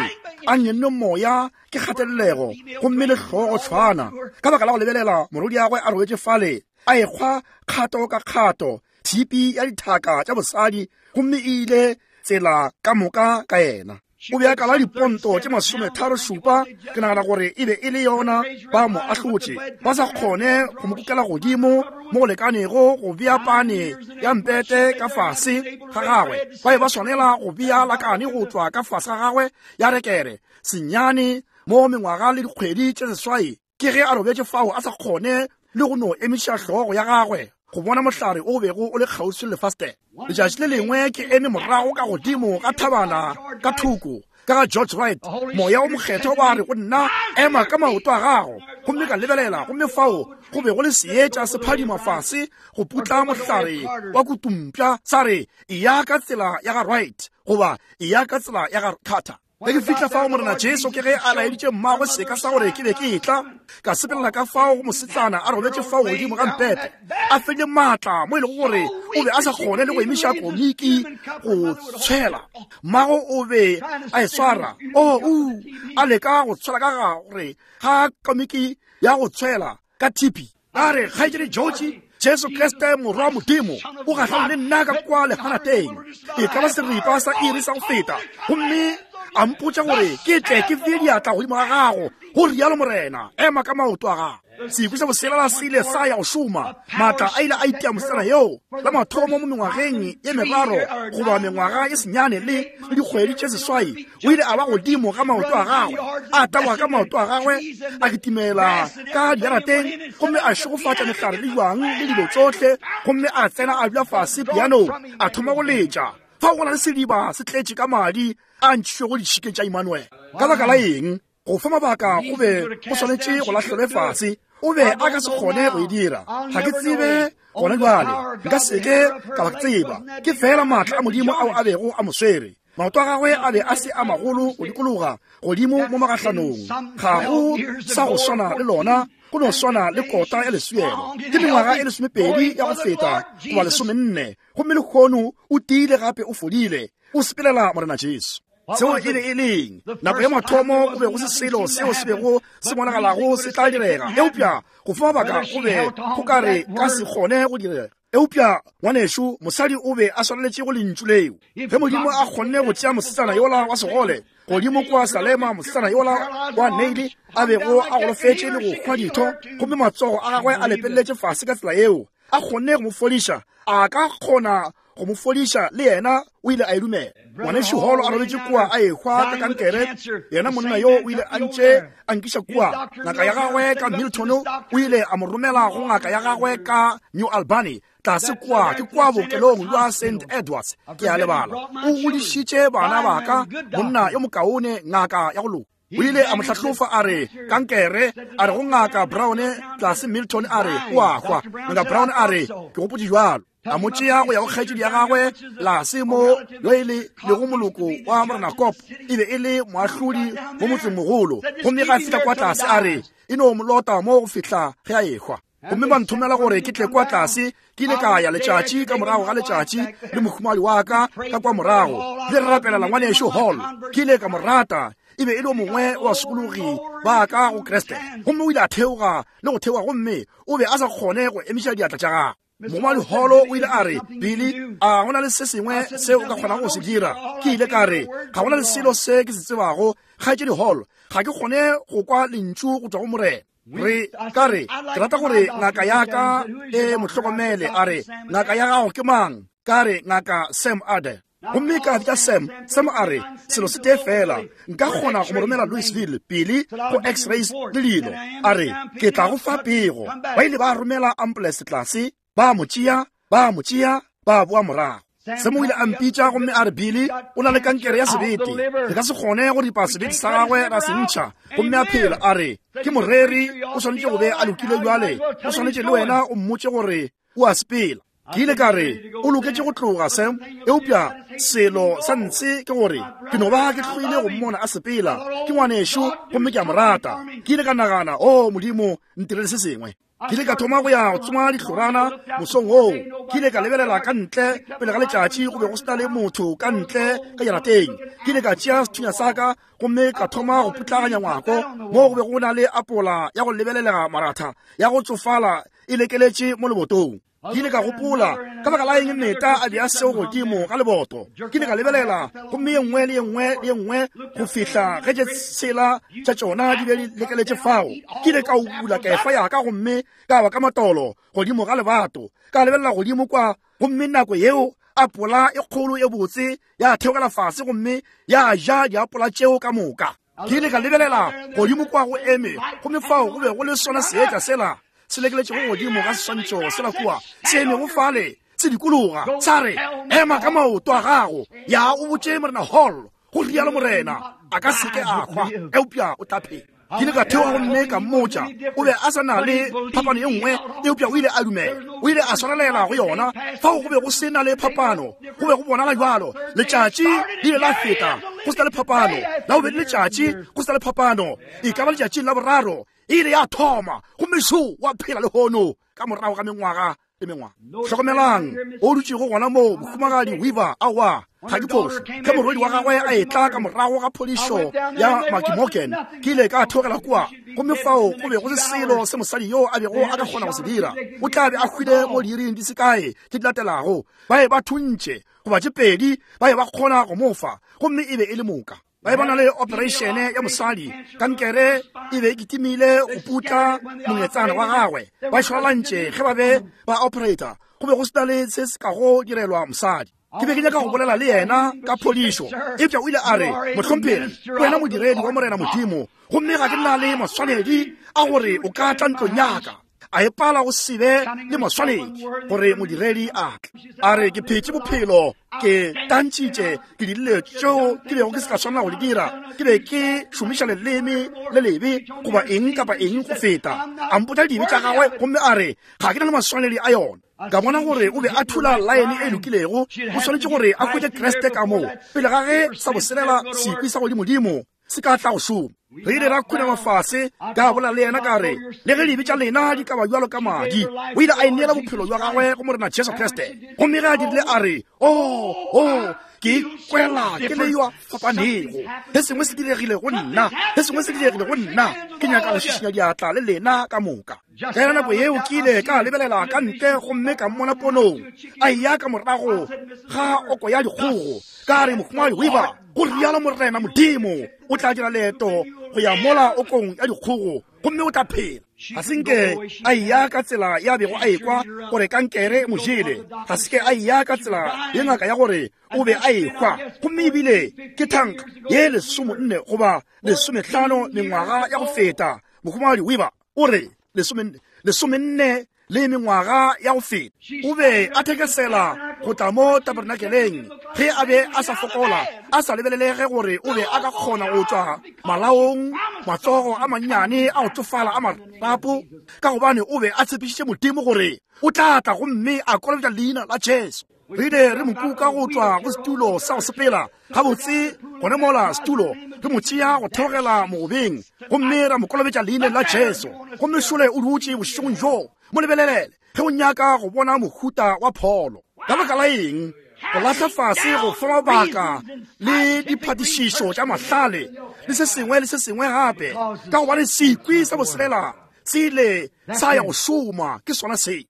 A: a nyenne moya ke kgatelelego gomme le hlogo tshwana ka baka la go lebelela morwediagwe a robetše fale a ekgwa kgato ka kgato tshipi ya dithaka tša bosadi, gomme e ile tsela ka moka ka yena. O be a kala diponto tše 37, ke nagana gore e be e le yona, ba mo ahlotše, ba sa kgone go mo kukela godimo mo go lekanego go bea pane ya mpete ka fase ga gagwe. Ba be ba swanela go bea lakane go tšwa ka fase ga gagwe ya rekere senyane mo mengwaga le dikgwedi tše 8. Ke ge a robetše fao a sa kgone le go no emiša hlogo ya gagwe go bona mohlare o bego o le kgauswi le lefastere. Letšatši le lengwe ke eme morago ka godimo ga thabana ka thoko ka ga George Wright, Moya o Mokgethwa wa re go nna, Ema ka maoto a gago. Gomme ka lebelela, gomme fao go be go le seetša se phadima fase go putla mohlare wa kutumpša, sa re, Eya ka tsela ya ga Wright, goba eya ka tsela ya ga Carter. Ge ke fihla fao, Morena Jesu ke ge a laeditše mmagwe seka sa gore ke be ke etla. Ka sepelela ka fao go mosetsana a robetše fao godimo ga mpete, a fedile maatla mo e lego gore o be a sa kgone le go emiša komiki go tshwela. Mmago o be a e swara, o u a leka go tshwela ka ga gore ga komiki ya go tshwela ka thipi. A re, Kgaetšedi Georgie, Jesu Kriste Morwa wa Modimo o gahlane le nna ka kwa leganateng e ka ba seripa sa iri sa go feta, gomme a mpotša gore ke tle ke bee diatla godimo ga gago, go rialo Morena, ema ka maoto a gago. Sekwi sa boselela se ile sa ya go šoma. Maatla a ile a itia mosetsana yoo la mathomo mo mengwageng ye meraro goba mengwaga ye senyane le dikgwedi tše 8. O ile a ba godimo ga maoto a gagwe, a taboga ka maoto a gagwe, a kitimela ka diarateng, gomme a šegofatša mehlare le jwang le dilo tšohle, gomme a tsena a dula fase pianong, a thoma go letša. Fao go na le sediba se tletše ka madi a ntšhitšwego ditšhikeng tša Immanuel. Ka baka la eng? Go fa mabaka go be go swanetše go lahlelwe fase. O be a ka se kgone go e dira. Ga ke tsebe gona bjale, nka se ke ka ba tseba. Ke feela maatla a Modimo ao a bego a mo swere. Maoto a gagwe a be a se a magolo go dikologa godimo mo magahlanong. Ga go sa go swana le lona, go no swana le kota ya leswielo. Ke mengwaga e 12 ya go feta goba 14, gomme lehono o tiile gape o fodile, o sepelela Morena Jesu. Seo e be e leng nako ya mathomo, go be go se selo seo se bego se bonagalago se tla direga, eupša go fa mabaka go be go ka re ka se kgone go direga. Eupša, ngwanešu, mosadi o be a swareletše go lentšu leo. Ge Modimo a kgonne go tšea mosetsana yola wa segole godimo kua Salema, mosetsana yola wa Neile a bego a golofetše le go hwa ditho, gomme matsogo a gagwe a lepeletše fase ka tsela yeo, a kgonne go mo fodiša, a ka kgona go mo fodiša le yena. O ile a e dumela. Ngwanešu Hall a robetše kua a ehwa ka kankere, yena monna yo o ile a ntše a nkiša kua. Ngaka ya gagwe ka Milton o ile a mo romela go ngaka ya gagwe ka New Albany, tlase kua ke kua bookelong bja Saint Edwards, ke a lebala. O godišitše bana ba ka, monna yo mokaone, ngaka ya go loka. O ile a mo hlahlofa, a re, kankere, a re go Ngaka Brown tlase Milton, a re, o a hwa. Ngaka Brown a re, ke gopotše bjalo. A mo tšea go ya go kgaetšedi ya gagwe lase mo, yo e le lego moloko wa Morena Kop, e be e le moahlodi mo motsengmogolo. Gomme ga a fihla kwa tlase, a re, e no mo lota mo go fihla ge a ehwa. Gomme ba nthomela gore ke tle kwa tlase. Ke ile ka ya letšatši ka morago ga letšatši le mohumagadi wa ka ka kwa morago, le re rapelela ngwanešu Hall. Ke ile ka mo rata, e be e le o mongwe wa basokologi ba ka go Kriste. Gomme o ile a theoga le go theoga, gomme o be a sa kgone go emiša diatla tša gagwe. Mohumagadi Hall o ile a re, Billy, a go na le se sengwe se o ka kgonago go se dira? Ke ile ka re, Ga go na le selo se ke se tsebago, Kgaetšedi Hall. Ga ke kgone go kwa lentšu go tšwa go Morena. Re ka re, ke rata gore ngaka ya ka e mo hlokomele. A re, Ngaka ya gago ke mang? Ka re, Ngaka Sam Adair. Gomme ka bitša Sam. Sam a re, Selo se tee feela, nka kgona go mo romela Louisville pele go x-rays le dilo. A re, Ke tla go fa pego. Ba ile ba romela ambulance tlase, ba mo tšea, ba mo tšea, ba boa morago. Sam o ile a mpitša gomme a re, Billy, o na le kankere ya sebete. Re ka se kgone go ripa sebete sa gagwe ra se ntšha. Gomme a phela. A re, Ke moreri, o swanetše go be a lokile bjale. O swanetše le wena o mmotše gore o a sepela. Ke ile ka re, O loketše go tloga, Sam, eupša selo sa ntshe ke gore ke no ba ke hloile go mmona a sepela. Ke ngwanešo gomme ke a mo rata. Ke ile ka nagana, O Modimo, ntirele se sengwe. Ke ile ka thoma go ya go tsoma dihlorana mosong woo. Ke ile ka lebelela ka ntle pele ga letšatši, go be go se na le motho ka ntle ka jarateng. Ke ile ka tšea sethunya sa ka gomme ka thoma go putlaganya ngwako moo go be go na le apola ya go lebelelega maratha ya go tsofala e lekeletše mo lebotong. Ke ile ka gopola, ka baka la eng Meta a bea seo godimo ga leboto? Ke ile ka lebelela, gomme ye nngwe le ye nngwe le ye nngwe go fihla ge tše tshela tša tšona di be di lekeletše fao. Ke ile ka ubula kefa ya ka gomme ka wa ka matolo godimo ga lebato, ka lebelela godimo kwa, gomme nako yeo apola e kgolo e botse ya theogela fase gomme ya ja diapola tšeo ka moka. Ke ile ka lebelela godimo kwa go eme, gomme fao go be go le sona seetša sela se lekeletšego godimo ga seswantšho sela kua, se emego fale se dikologa, sa re, Ema ka maoto a gago, ya o botše Morena Hall, go rialo Morena, a ka se ke a hwa, eupša o tla phela. Ke ile ka theoga gomme ka mmotša. O be a sa na le phapano ye nngwe, eupša o ile a dumela. O ile a swarelela go yona. Fao go be go se na le phapano, go be go bonala bjalo. Letšatši le ile la feta, go se na le phapano. La bobedi letšatši, go se na le phapano. E ka ba letšatšing la boraro, e ile ya thoma, gomme šo wa phela lehono ka morago ga mengwaga le mengwaga. Hlokomelang, o dutšego gona moo, Mohumagadi Weaver, aowa, ga ke phošo. Ge morwedi wa gagwe a etla ka morago ga phodišo ya McMorgan, ke ile ka theogela kua, gomme fao go be go se selo se mosadi yo a bego a ka kgona go se dira. O tla be a hwile mo diiring di se kae tše di latelago. Ba be ba thuntše, goba tše pedi, ba be ba kgona go mo fa, gomme e be e le moka. Ba be ba na le opereišene ya mosadi, kankere e be e kitimile go putla mongetsana wa gagwe. Ba šwalalantše ge ba be ba operator, go be go se na le se se kago direlwa mosadi. Ke be ke nyaka go bolela le yena ka phodišo, eupša o ile a re, Mohlomphegi, wena modiredi wa Morena Modimo, gomme ga ke na le maswanedi a gore o ka tla ntlong ya ka. A e pala go se be le maswanedi gore modiredi a tle. A re, Ke phetše bophelo, ke tantšitše, ke dirile tšeo ke bego ke se ka swanela go di dira, ke be ke šomiša leleme le lebe goba eng kapa eng go feta. A mpotša dibe tša gagwe gomme a re, Ga ke na le maswanedi a yona. Ka bona gore o be a thula laene e lokilego, o swanetše gore a hwetše Kriste ka moo pele ga ge sa boselela sekwi sa godimodimo se ka tla go šoma. Re ile ra khunama fase, ka bolela le yena ka re, Le ge dibe tša lena di ka ba bjalo ka madi. O ile a ineela bophelo bja gagwe go Morena Jesu Kriste. Gomme ge a dirile a re, Oh, oh, ke ikwela ke le yo a fapanego. Se sengwe se diregile go nna, se sengwe se diregile go nna. Ke nyaka go šišinya diatla le lena ka moka. Ka yona nako yeo ke ile ka lebelela ka ntle gomme ka mmona ponong a eya ka morago ga oko ya dikgogo. Ka re, Mohumagadi Weaver, go rialo Morena Modimo, o tla dira leeto go ya mola okong ya dikgogo gomme o tla phela. Ga se nke a eya ka tsela ya bego a ekwa gore kankere e mo jele. Ga se ke a eya ka tsela ye ngaka ya gore o be a ehwa, gomme ebile ke thanka ye 14 goba 15 mengwaga ya go feta. Mohumagadi Weaver o re, 14 le mengwaga ya go feta o be a thekesela go tla mo tabernakeleng ge a be a sa fokola, a sa lebelelege gore o be a ka kgona go tšwa malaong, matsogo a mannyane a go tsofala a marapo, ka gobane o be a tshepišitše Modimo gore o tla tla gomme a kolobetša leina la Jesu. Re ile re mo kuka go tšwa go setulo sa go sepela gabotse gone mola setulo, re mo tšea go theogela mogobeng gomme ra mo kolobetša leineng la Jesu. Gomme šole o dutše bošegong bjo. Mo lebelele ge o nyaka go bona mohuta wa pholo. Ka baka la eng go lahla fase go fa mabaka le diphatišišo tša mahlale le se sengwe le se sengwe gape, ka gobane sekwi sa boselela se ile sa ya go šoma. Ke sona se.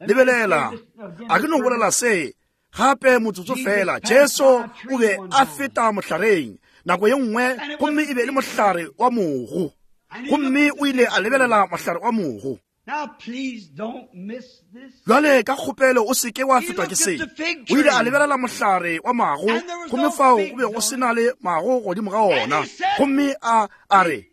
A: Lebelela, a ke no bolela se gape motsotso fela. Jesu o be a feta mohlareng nako ye nngwe, gomme e be e le mohlare wa mogo, gomme o ile a lebelela mohlare wa mogo. Bjale ka kgopelo o seke wa fetwa ke se. O ile a lebelela mohlare wa mago, gomme fao go be go se na le mago godimo ga ona. Gomme a a re,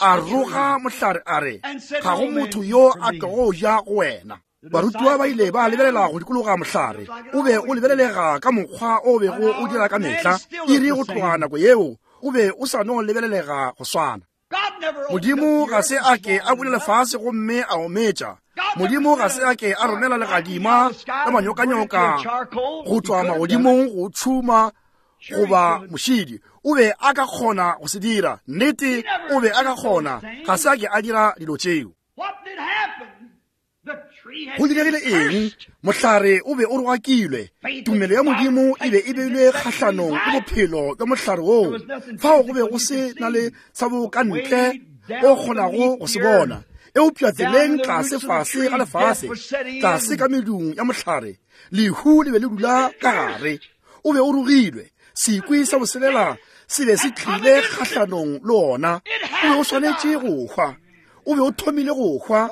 A: a roga mohlare a re, ga go motho yo a tlogo ja go wena. Barutiwa ba ile ba lebelela go dikologa mohlare. O be o lebelelega ka mokgwa o bego o dira ka mehla. Iri go tloga nako yeo, o be o sa no lebelelega go swana. Modimo ga se a ke a bula lefase gomme a ometša. Modimo ga se a ke a romela legadima la manyokanyoka go tšwa magodimong go tšhuma goba mošidi. O be a ka kgona go se dira. Nnete, o be a ka kgona. Ga se a ke a dira dilo tšeo. Go diregile eng? Mohlare o be o rogakilwe. Tumelo ya Modimo e be e beilwe kgahlanong le bophelo bja mohlare woo. Fao go be go se na le sa bo ka ntle o kgonago go se bona. Eupša tseleng tlase fase ga lefase, tlase ka medung ya mohlare, lehu le be le dula ka gare. O be o rogilwe. Sekwi sa boselela se be se tlile kgahlanong le ona. O be o swanetše go hwa. O be o thomile go hwa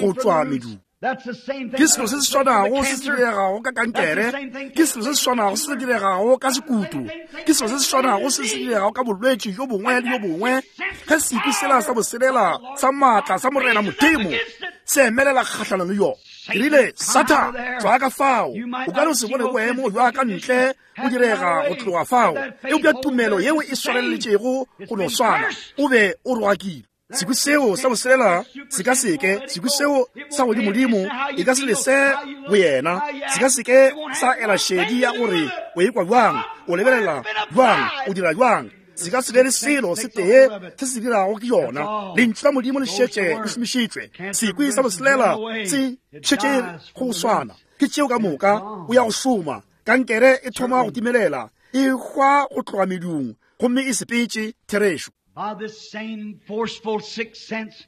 A: go tšwa medung. Ke selo se se swanago se se diregago ka kankere, ke selo se se swanago se se diregago ka sekutu, ke selo se se swanago se se diregago ka bolwetši jo bongwe le jo bongwe. Ge sekwi sela sa boselela sa maatla sa Morena Modimo se emelela kgahlanong le yona, ke rile, Satan, tšwa ka fao. O ka no se bone boemo bja ka ntle bo direga go tloga fao, eupša tumelo yeo e swareletšego go no swana, o be o rogakile. Sekwi seo sa boselela se ka seke, sekwi seo sa godimodimo e ka se lese go yena, se ka seke sa ela šedi ya gore o ekwa bjang, o lebelela bjang, o dira bjang. Se ka se be le selo se tee se se dirago ke yona. Lentšu la Modimo le šetše le šomišitšwe. Sekwi sa boselela se šetše go swana. Ke tšeo ka moka, o ya go šoma. Kankere e thoma go timelela, e hwa go tloga medung, gomme e sepetše. Therešo.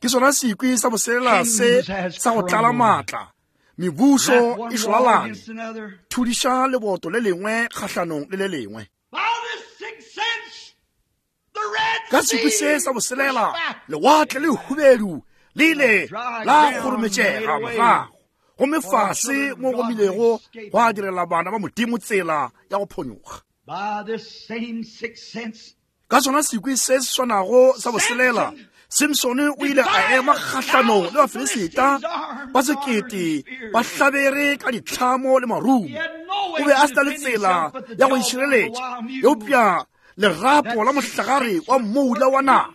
A: Ke sona sekwi sa boselela se sa go tlala maatla. Mebušo e šwalalane, thudiša leboto le lengwe kgahlanong le le lengwe. Ka sekwi se sa boselela, lewatle le hubedu le ile la kgorometšega morago, gomme fase mo go milego gwa direla bana ba Modimo tsela ya go phonyokga. Ka sona sekwi se se swanago sa boselela, Simsone o ile a ema kgahlanong le Bafilisita ba sekete ba hlabere ka ditlhamo le marumo. O be a se na le tsela ya go itšhireletša, eupša lerapo la mohlagare wa mmoula wa naga,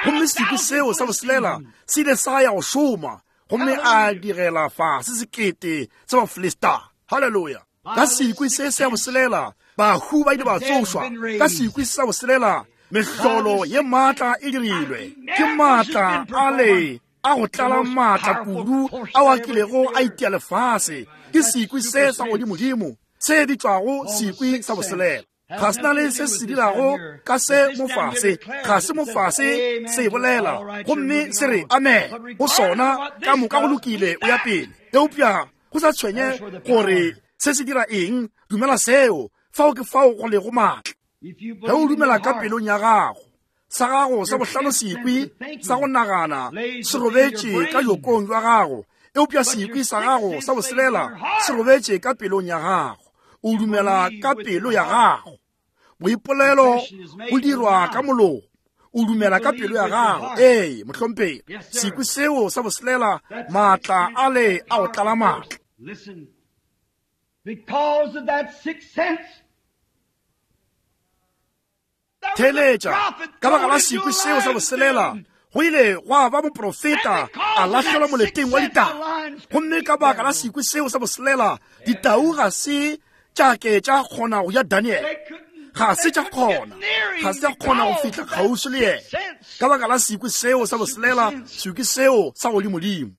A: gomme sekwi seo sa boselela se ile sa ya go šoma gomme a digela fase sekete sa Bafilista. Haleluya! Ka sekwi se sa boselela bahu ba ile ba tsošwa. Ka sekwi sa boselela mehlolo ye maatla e dirilwe. Ke maatla a le a go tlala maatla kudu ao a kilego a itia lefase. Ke sekwi se sa godimodimo se bitšwago sekwi sa boselela. Ga se na le se se dirago ka se mofase, ga se mofase se bolela gomme se re amen go sona, ka moka go lokile, o ya pele. Eupša go sa tshwenye gore se se dira eng, dumela seo, fao ke fao go lego maatla. Ge o dumela ka pelong ya gago, sa gago sa bohlano sekwi sa go nagana se robetše ka jokong jwa gago, eupša sekwi sa gago sa boselela se robetše ka pelong ya gago. O dumela ka pelo ya gago. Boipolelo bo dirwa ka molomo. O dumela ka pelo ya gago. Ee, mohlomphegi. Sekwi seo sa boselela, maatla ale a go tlala maatla.
B: Because of that sixth sense,
A: Theeletša, ka baka la sekwi seo sa boselela, go ile gwa ba moprofeta a lahlelwa moleteng wa ditau. Gomme ka baka la sekwi seo sa boselela, ditau ga se tša ke tša kgona go ja Daniel. Ga se tša kgona, ga se tša kgona go fihla kgauswi le yena. Ka baka la sekwi seo sa boselela, sekwi seo sa godimodimo.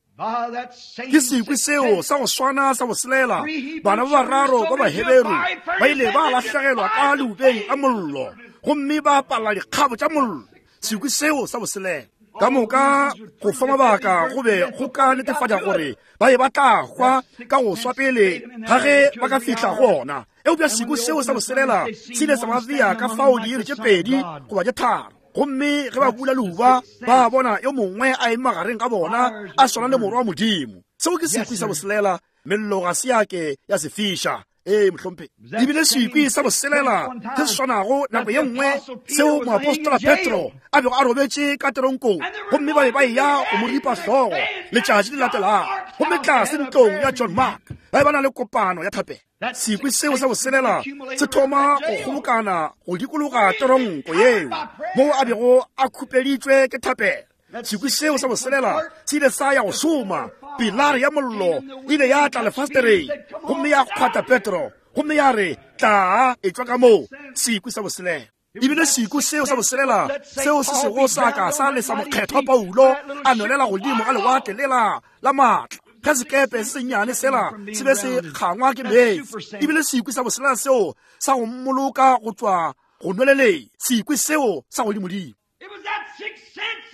A: Ke sekwi seo sa go swana sa boselela, bana ba bararo ba Baheberu ba ile ba lahlegelwa ka leubeng la mollo gomme ba apala dikgabo tša mollo. Sekwi seo sa boselela ka moka go fa mabaka go be go ka netefatša gore ba be ba tla hwa ka go swa pele ga ge ba ka fihla go ona. Eupša sekwi seo sa boselela se ile sa ba bea ka fao diiri tše pedi goba tše tharo. Gomme ge ba bula leuba, ba bona yo mongwe a eme magareng ga bona, a swana le Morwa wa Modimo. Seo ke sekwi sa boselela, mello ga se ya ke ya se fiša. Ee, mohlomphegi. E bile sekwi sa boselela se se swanago nako ye nngwe seo moapostola Petro a bego a robetše ka teronkong, gomme ba be ba eya go mo ripa hlogo letšatši le latelago. Gomme tlase ntlong ya John Mark ba be ba na le kopano ya thapelo. Sekwi seo sa boselela se thoma go kgobokana go dikologa teronko yeo moo a bego a khupeditšwe ke thapelo. Sekwi seo sa boselela se ile sa ya go šoma. Pilare ya mollo e ile ya tla lefastereng gomme ya kgwata Petro gomme ya re, Tlaa, etšwa ka moo. Sekwi sa boselela. E bile sekwi seo sa boselela seo se sego sa ka sa lesa mokgethwa Paulo a nwelela godimo ga lewatle lela la maatla ge sekepe se sennyane sela se be se kgangwa ke meetse. E bile sekwi sa boselela seo sa go mmoloka go tšwa go nweleleng, sekwi seo sa godimodimo.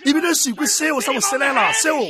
A: E bile sekwi seo sa boselela seo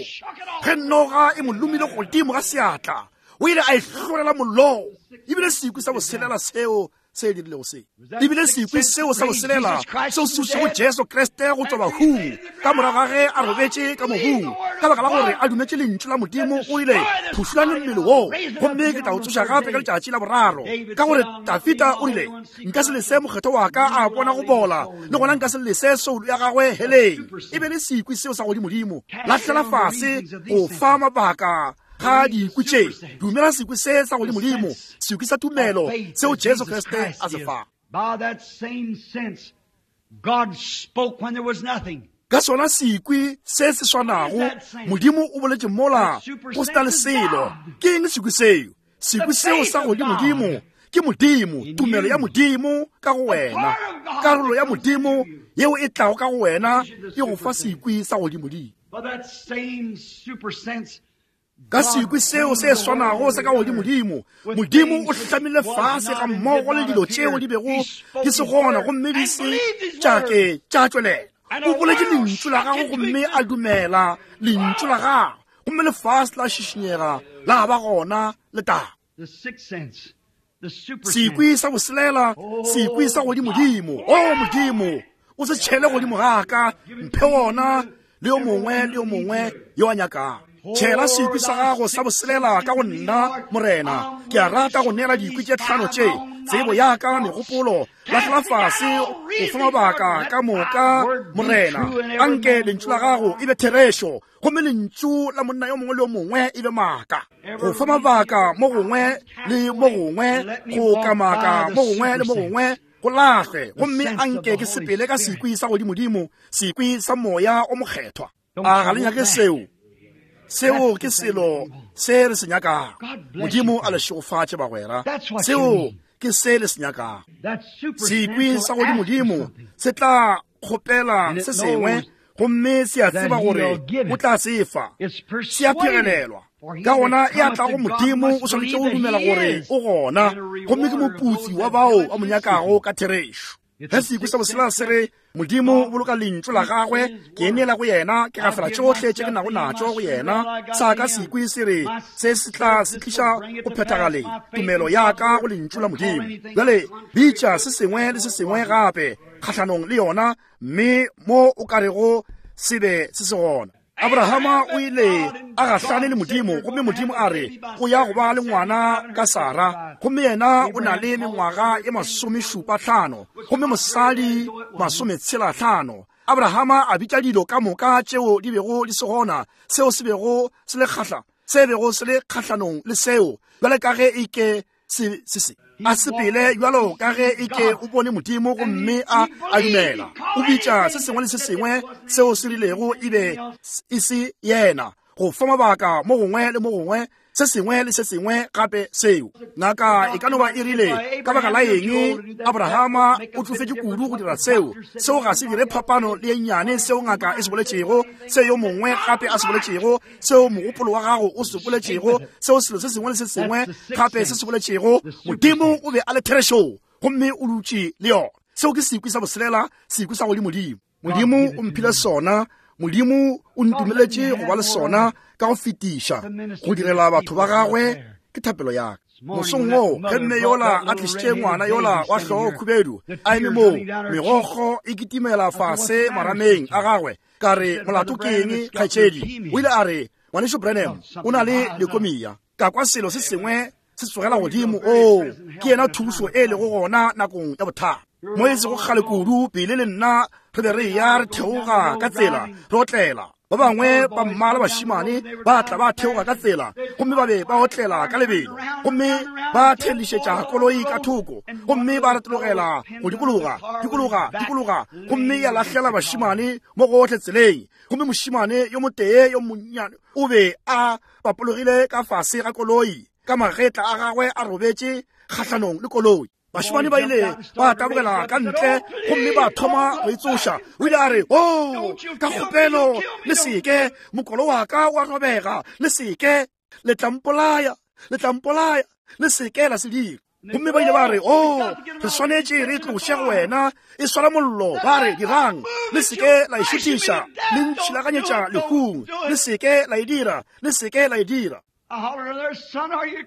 A: ge noga e mo lomile godimo ga seatla, o ile a e hlolela mollong. E bile sekwi sa boselela seo se dirilego se. E bile sekwi seo sa boselela seo se tsošitšego Jesu Kriste go tšwa bahung ka morago ga ge a robetše ka mobung ka baka la gore a dumetše lentšu la Modimo. O ile, Phušolane mmele wo, gomme ke tla o tsoša gape ka letšatši la boraro. Ka gore Dafida o rile, Nka se lese mokgethwa wa ka a bona go bola, le gona nka se lese soulo ya gagwe heleng. E be le sekwi seo sa godimodimo. Lahlela fase go fa mabaka ga dikwi tše. Dumela sekwi se sa godimodimo, sekwi sa tumelo seo Jesu Kriste a se fa.
B: By that same sense, God spoke when there was nothing.
A: Ka sona sekwi se se swanago, Modimo o boletše mola go se na le selo. Ke eng sekwi seo? Sekwi seo sa godimodimo ke Modimo, tumelo ya Modimo ka go wena, karolo ya Modimo yeo e tlago ka go wena e go fa sekwi sa godimodimo. Ka sekwi seo se swanago sa ka godimodimo, Modimo o hlamile fase ga mmogo le dilo tšeo di bego di se gona gomme di se tša ke tša tšwelela. O boletše lentšu la gagwe gomme a dumela lentšu la gagwe, gomme lefase la šišinyega la ba gona letaba. Sekwi sa boselela, sekwi sa godimodimo. O Modimo, o se tšhele godimo ga ka, mphe wona le yo mongwe le yo mongwe yo a nyakago. Tšhela sekwi sa gago sa boselela ka go nna, Morena. Ke a rata go neela dikwi tše tlhano tše, tsebo ya ka, megopolo, lahlela fase go fa mabaka ka moka, Morena. Anke lentšu la gago e be therešo, gomme lentšu la monna yo mongwe le yo mongwe e be maaka. Go fa mabaka mo gongwe le mo gongwe, go kamaka mo gongwe le mo gongwe, go lahle, gomme anke ke sepele ka sekwi sa godimodimo, sekwi sa Moya o Mokgethwa. A ga le nyake seo? Seo ke selo se re se nyakago. Modimo a le šegofatše, bagwera. Seo ke se le se nyakago. Sekwi sa godimodimo se tla kgopela se sengwe, gomme se a tseba gore o tla se fa. Se a phegelelwa. Ka gona e a tlago Modimo o swanetše go dumela gore o gona, gomme ke moputsi wa bao ba mo nyakago ka therešo. Ge sekwi sa boselela se re, Modimo o boloka lentšu la gagwe, ke neela go yena, ke gafela tšohle tše ke nago natšo go yena, sa ka sekwi se re, se se tla se tliša go phethagaleng tumelo ya ka go lentšu la Modimo. Bjale bitša se sengwe le se sengwe gape kgahlanong le yona, mme mo o ka rego se be se se gona. Abrahama o ile a gahlane le Modimo, gomme Modimo a re o ya go ba le ngwana ka Sara, gomme yena o na le mengwaga e 75, gomme mosadi 65. Abrahama a bitša dilo ka moka tšeo di bego di se gona, seo se bego se le kgahla, se bego se le kgahlanong le seo, bjale ka ge e ke se se se a sepele bjalo ka ge e ke o bone Modimo, gomme a a dumela. O bitša se sengwe le se sengwe seo se rilego e be e se yena, go fa mabaka mo gongwe le mo gongwe, se sengwe le se sengwe gape seo. Ngaka e ka no ba e rile, ka baka la eng Abrahama o tšofetše kudu go dira seo? Seo ga se dire phapano le ye nnyane seo ngaka e se boletšego, se yo mongwe gape a se boletšego, seo mogopolo wa gago o se boletšego, seo selo se sengwe le se sengwe gape se se boletšego. Modimo o be a le therešong, gomme o dutše le yona. Seo ke sekwi sa boselela, sekwi sa godimodimo. Modimo o mphile sona. Modimo o ntumeletše go ba le sona ka go fetiša, go direla batho ba gagwe. Ke thapelo ya ka. Mosong woo ge mme yola a tlišitše ngwana yola wa hlogo khubedu a eme moo, megokgo e kitimela fase marameng a gagwe, ka re, Molato ke eng, kgaetšedi? O ile a re, Ngwanešu Branham, o na le lekomia. Ka kwa selo se sengwe se tsogela godimo. Oo, ke yena thušo e lego gona nakong ya bothata. Mo e sego kgale kudu, Billy le nna re be re eya re theoga ka tsela, re otlela. Ba bangwe ba mmala bašemane ba tla ba theoga ka tsela, gomme ba be ba otlela ka lebelo, gomme ba thelišetša koloi ka thoko, gomme ba retologela go dikologa, dikologa, dikologa, gomme ya lahlela bašemane mo gohle tseleng. Gomme mošemane yo motee yo monnyane o be a bapologile ka fase ga koloi, ka magetla a gagwe a robetše kgahlanong le koloi. Bašemane ba ile ba tabogela ka ntle gomme ba thoma go itsoša. O ile a re, O, oh, ka kgopelo le seke, mokolo wa ka wa robega, le seke, le tla mpolaya, le tla mpolaya, le seke la se dira. Gomme ba ile ba re, O, oh, re swanetše re tloše go wena, e swara mollo. Ba re, Dirang, le seke la e šuthiša, le ntšhilaganyetša lehung, le seke la e dira, le seke la e dira.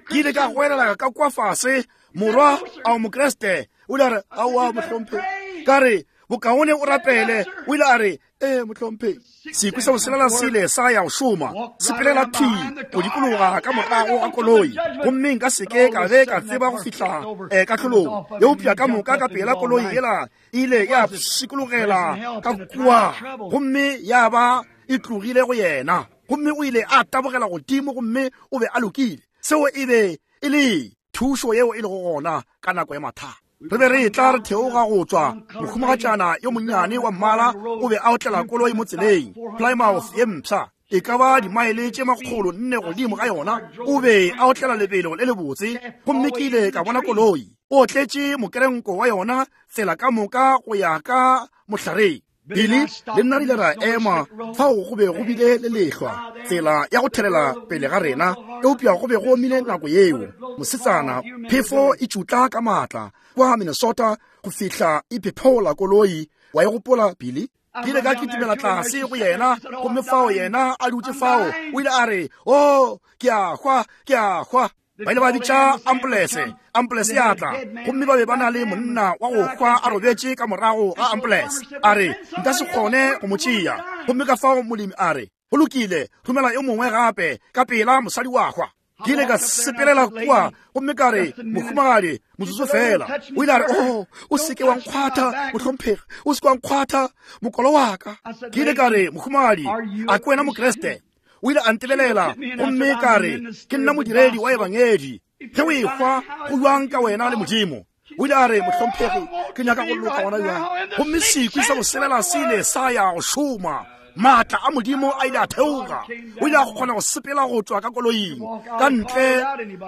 A: Ke ile ka goelela ka kwa fase, Morwa, a o Mokriste? O ile a re, Aowa, mohlomphegi. Ka re, Bokaone o rapele. O ile a re, Ee, mohlomphegi. Sekwi sa boselela se ile sa ya go šoma, sepelela thwi go dikologa ka morago ga koloi, gomme nka se ke ka be ka tseba go fihla eh, kahlolong. Eupša ka moka ka pela koloi yela e ile ya pshikologela ka kua, gomme ya ba e tlogile go yena. Gomme o ile a tabogela godimo, gomme o be a lokile. Seo e be e le thušo yeo e lego gona ka nako ya mathata. Re be re etla re theoga go tšwa, mohumagatšana yo monnyane wa mmala o be a otlela koloi mo tseleng, Plymouth ye mpsha, e ka ba dimaele tše 400 godimo ga yona. O be a otlela lebelo le lebotse, gomme ke ile ka bona koloi. O otletše mokerenko wa yona tsela ka moka go ya ka mohlareng. Billy le nna re ile ra ema fao. Go be go bile le lehlwa, tsela ya go thelela pele ga rena, eupša go be go omile nako yeo. Mosetsana, phefo e tšutla ka maatla kwa Minnesota go fihla e phephola koloi. Wa e gopola, Billy? Ke ile ka kitimela tlase go yena, gomme fao yena a dutše fao, o ile a re, O, ke a hwa, ke a hwa. Ba ile ba bitša ampolese, ampolese ya tla, gomme ba be ba na le monna wa go hwa a robetše ka morago ga ampolese. A re, Nka se kgone go mo tšea. Gomme ka fao molemi a re, Go lokile, romela yo mongwe gape, ka pela, mosadi wa hwa. Ke ile ka sepelela kua gomme ka re, Mohumagadi, motsotso feela. O ile a re, Oh, o se ke wa nkgwatha, mohlomphegi, o se ke wa nkgwatha, mokolo wa ka. Ke ile ka re, Mohumagadi, a ke wena Mokriste? O ile a ntebelela, gomme ka re, Ke nna modiredi wa Ebangedi. Ge o ehwa, go bjang ka wena le Modimo? O ile a re, Mohlomphegi, ke nyaka go loka gona bjang. Gomme sekwi sa boselela se ile sa ya go šoma. Maatla a Modimo a ile a theoga. O ile a kgona go sepela go tšwa ka koloing ka ntle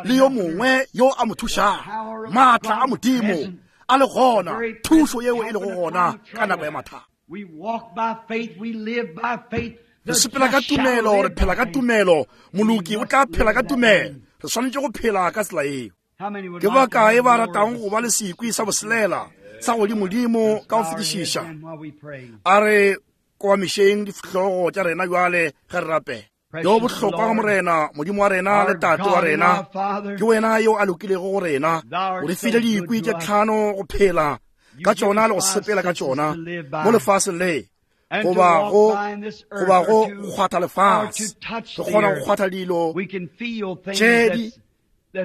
A: le yo mongwe yo a mo thušago. Maatla a Modimo a le gona, thušo yeo e lego gona ka nako ya mathata. Re sepela ka tumelo, re phela ka tumelo. Moloki o tla phela ka tumelo. Re swanetše go phela ka tsela yeo. Ke ba kae ba ratago go ba le sekwi sa boselela sa godimodimo ka go fetišiša? A re kobamišeng dihlogo tša rena bjale ge re rapela. Yo bohlokwa ga Morena, Modimo wa rena le Tate wa rena, ke wena yo a lokilego go rena. O re file dikwi tše tlhano go phela ka tšona le go sepela ka tšona mo lefaseng le, goba go goba go kgwatha lefase. Re kgona go kgwatha dilo tše di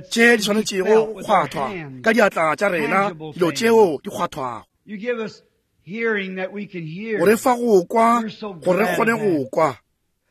A: tše di swanetšego go kgwathwa ka diatla tša rena, dilo tšeo di kgwathwago. O re fa go kwa gore re kgone go kwa.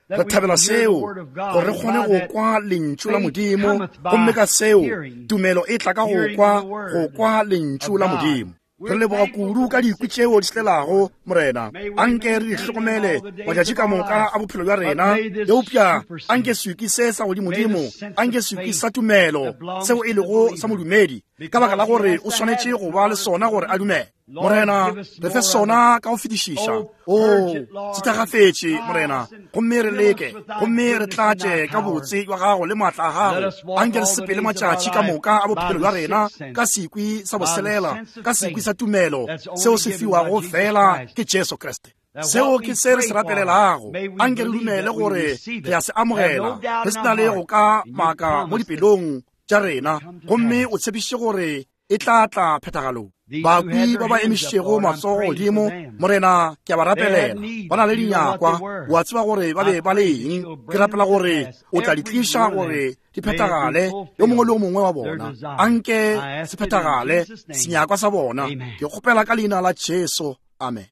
A: Re thabela seo, gore re kgone go kwa lentšu la Modimo, gomme ka seo tumelo e tla ka go kwa, go kwa lentšu la Modimo. Re leboga kudu ka dikwi tšeo di tlelago, Morena. Anke re di hlokomele matšatši ka moka a bophelo bja rena. Eupša anke sekwi se sa godimodimo, anke sekwi sa tumelo seo e lego sa modumedi, ka baka la gore o swanetše go ba le sona gore a dumele. Morena, re fe sona ka go fetišiša. O se thakgafetše, Morena, gomme re leke, gomme re tlatše ka botse bja gago le maatla a gago. Anke re sepele matšatši ka moka a bophelo bja rena ka sekwi sa boselela, ka sekwi sa tumelo seo se fiwago feela ke Jesu Kriste. Seo ke se re se rapelelago. Anke re dumele gore re a se amogela, re se na le go ka maka mo dipelong. tša rena, gomme o tshepišitše gore e tla tla phethagalong. Bakwi ba ba emišitšego matsogo godimo, Morena, ke a ba rapelela. Ba na le dinyakwa, o a tseba gore ba be ba le eng. Ke rapela gore o tla di tliša gore di phethagale, yo mongwe le yo mongwe wa bona. Anke se phethagale, senyakwa sa bona. Ke kgopela ka leina la Jesu. Amen.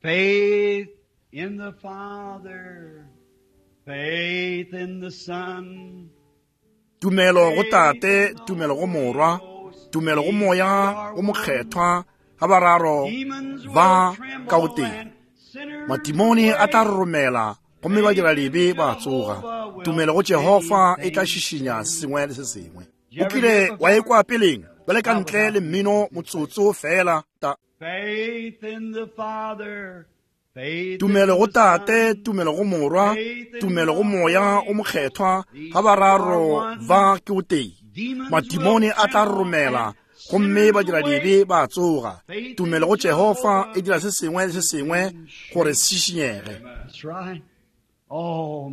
B: Faith in the Father, faith in the Son.
A: Tumelo go Tate, tumelo go Morwa, tumelo go Moya o Mokgethwa, ga bararo ba ka o tee. Matimone a tla roromela gomme ba dira lebe ba tsoga. Tumelo go Jehofa e tla šišinya sengwe le se sengwe. O kile wa ekwa peleng bjale ka ntle le mmino motsotso feela ta Tumelo go Tate, tumelo go Morwa, tumelo go Moya o Mokgethwa, ga bararo ba ke o tee. Madimone a tla romela gomme badiradibe ba tsoga. Tumelo go Jehofa e dira se sengwe le se sengwe gore se šišinyege.
B: Oh,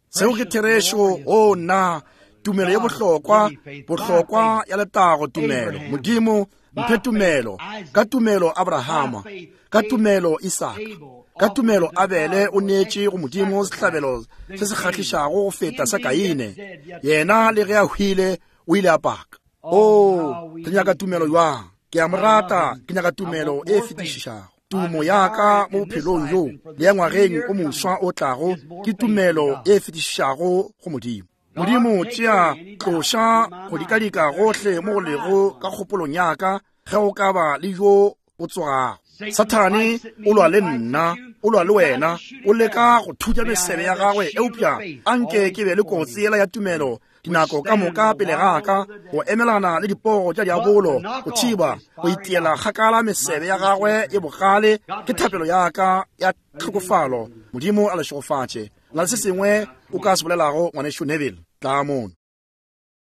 A: Seo ke therešo. O nna, tumelo ye bohlokwa, bohlokwa ya letago tumelo. Modimo, mphe tumelo. Ka tumelo Abrahama, ka tumelo Isaka, ka tumelo Abele o neetše go Modimo sehlabelo se se kgahlišago go feta sa Kaine. Yena le ge a hwile o ile a paka. O, re nyaka tumelo jwang? Ke a mo rata, ke nyaka tumelo e fetišišago. Tumo ya ka mo bophelong bjo le ya ngwageng o moswa o tlago ke tumelo e fetišišago go Modimo. Modimo, tšea, tloša go dikadika gohle mo go lego ka kgopolong ya ka ge go ka ba le yo bo tsogago. Sathane o lwa le nna, o lwa le wena, o leka go thutša mesebe ya gagwe, eupša anke ke be le kotsi yela ya tumelo dinako ka moka pele ga ka go emelana le diporo tša diabolo go thiba go itiela kgakala mesebe ya gagwe ye bogale ke thapelo ya ka ya tlhokofalo. Modimo a le šegofatše. Na le se sengwe o ka se bolelago, Ngwanešu Neville? Tla mono.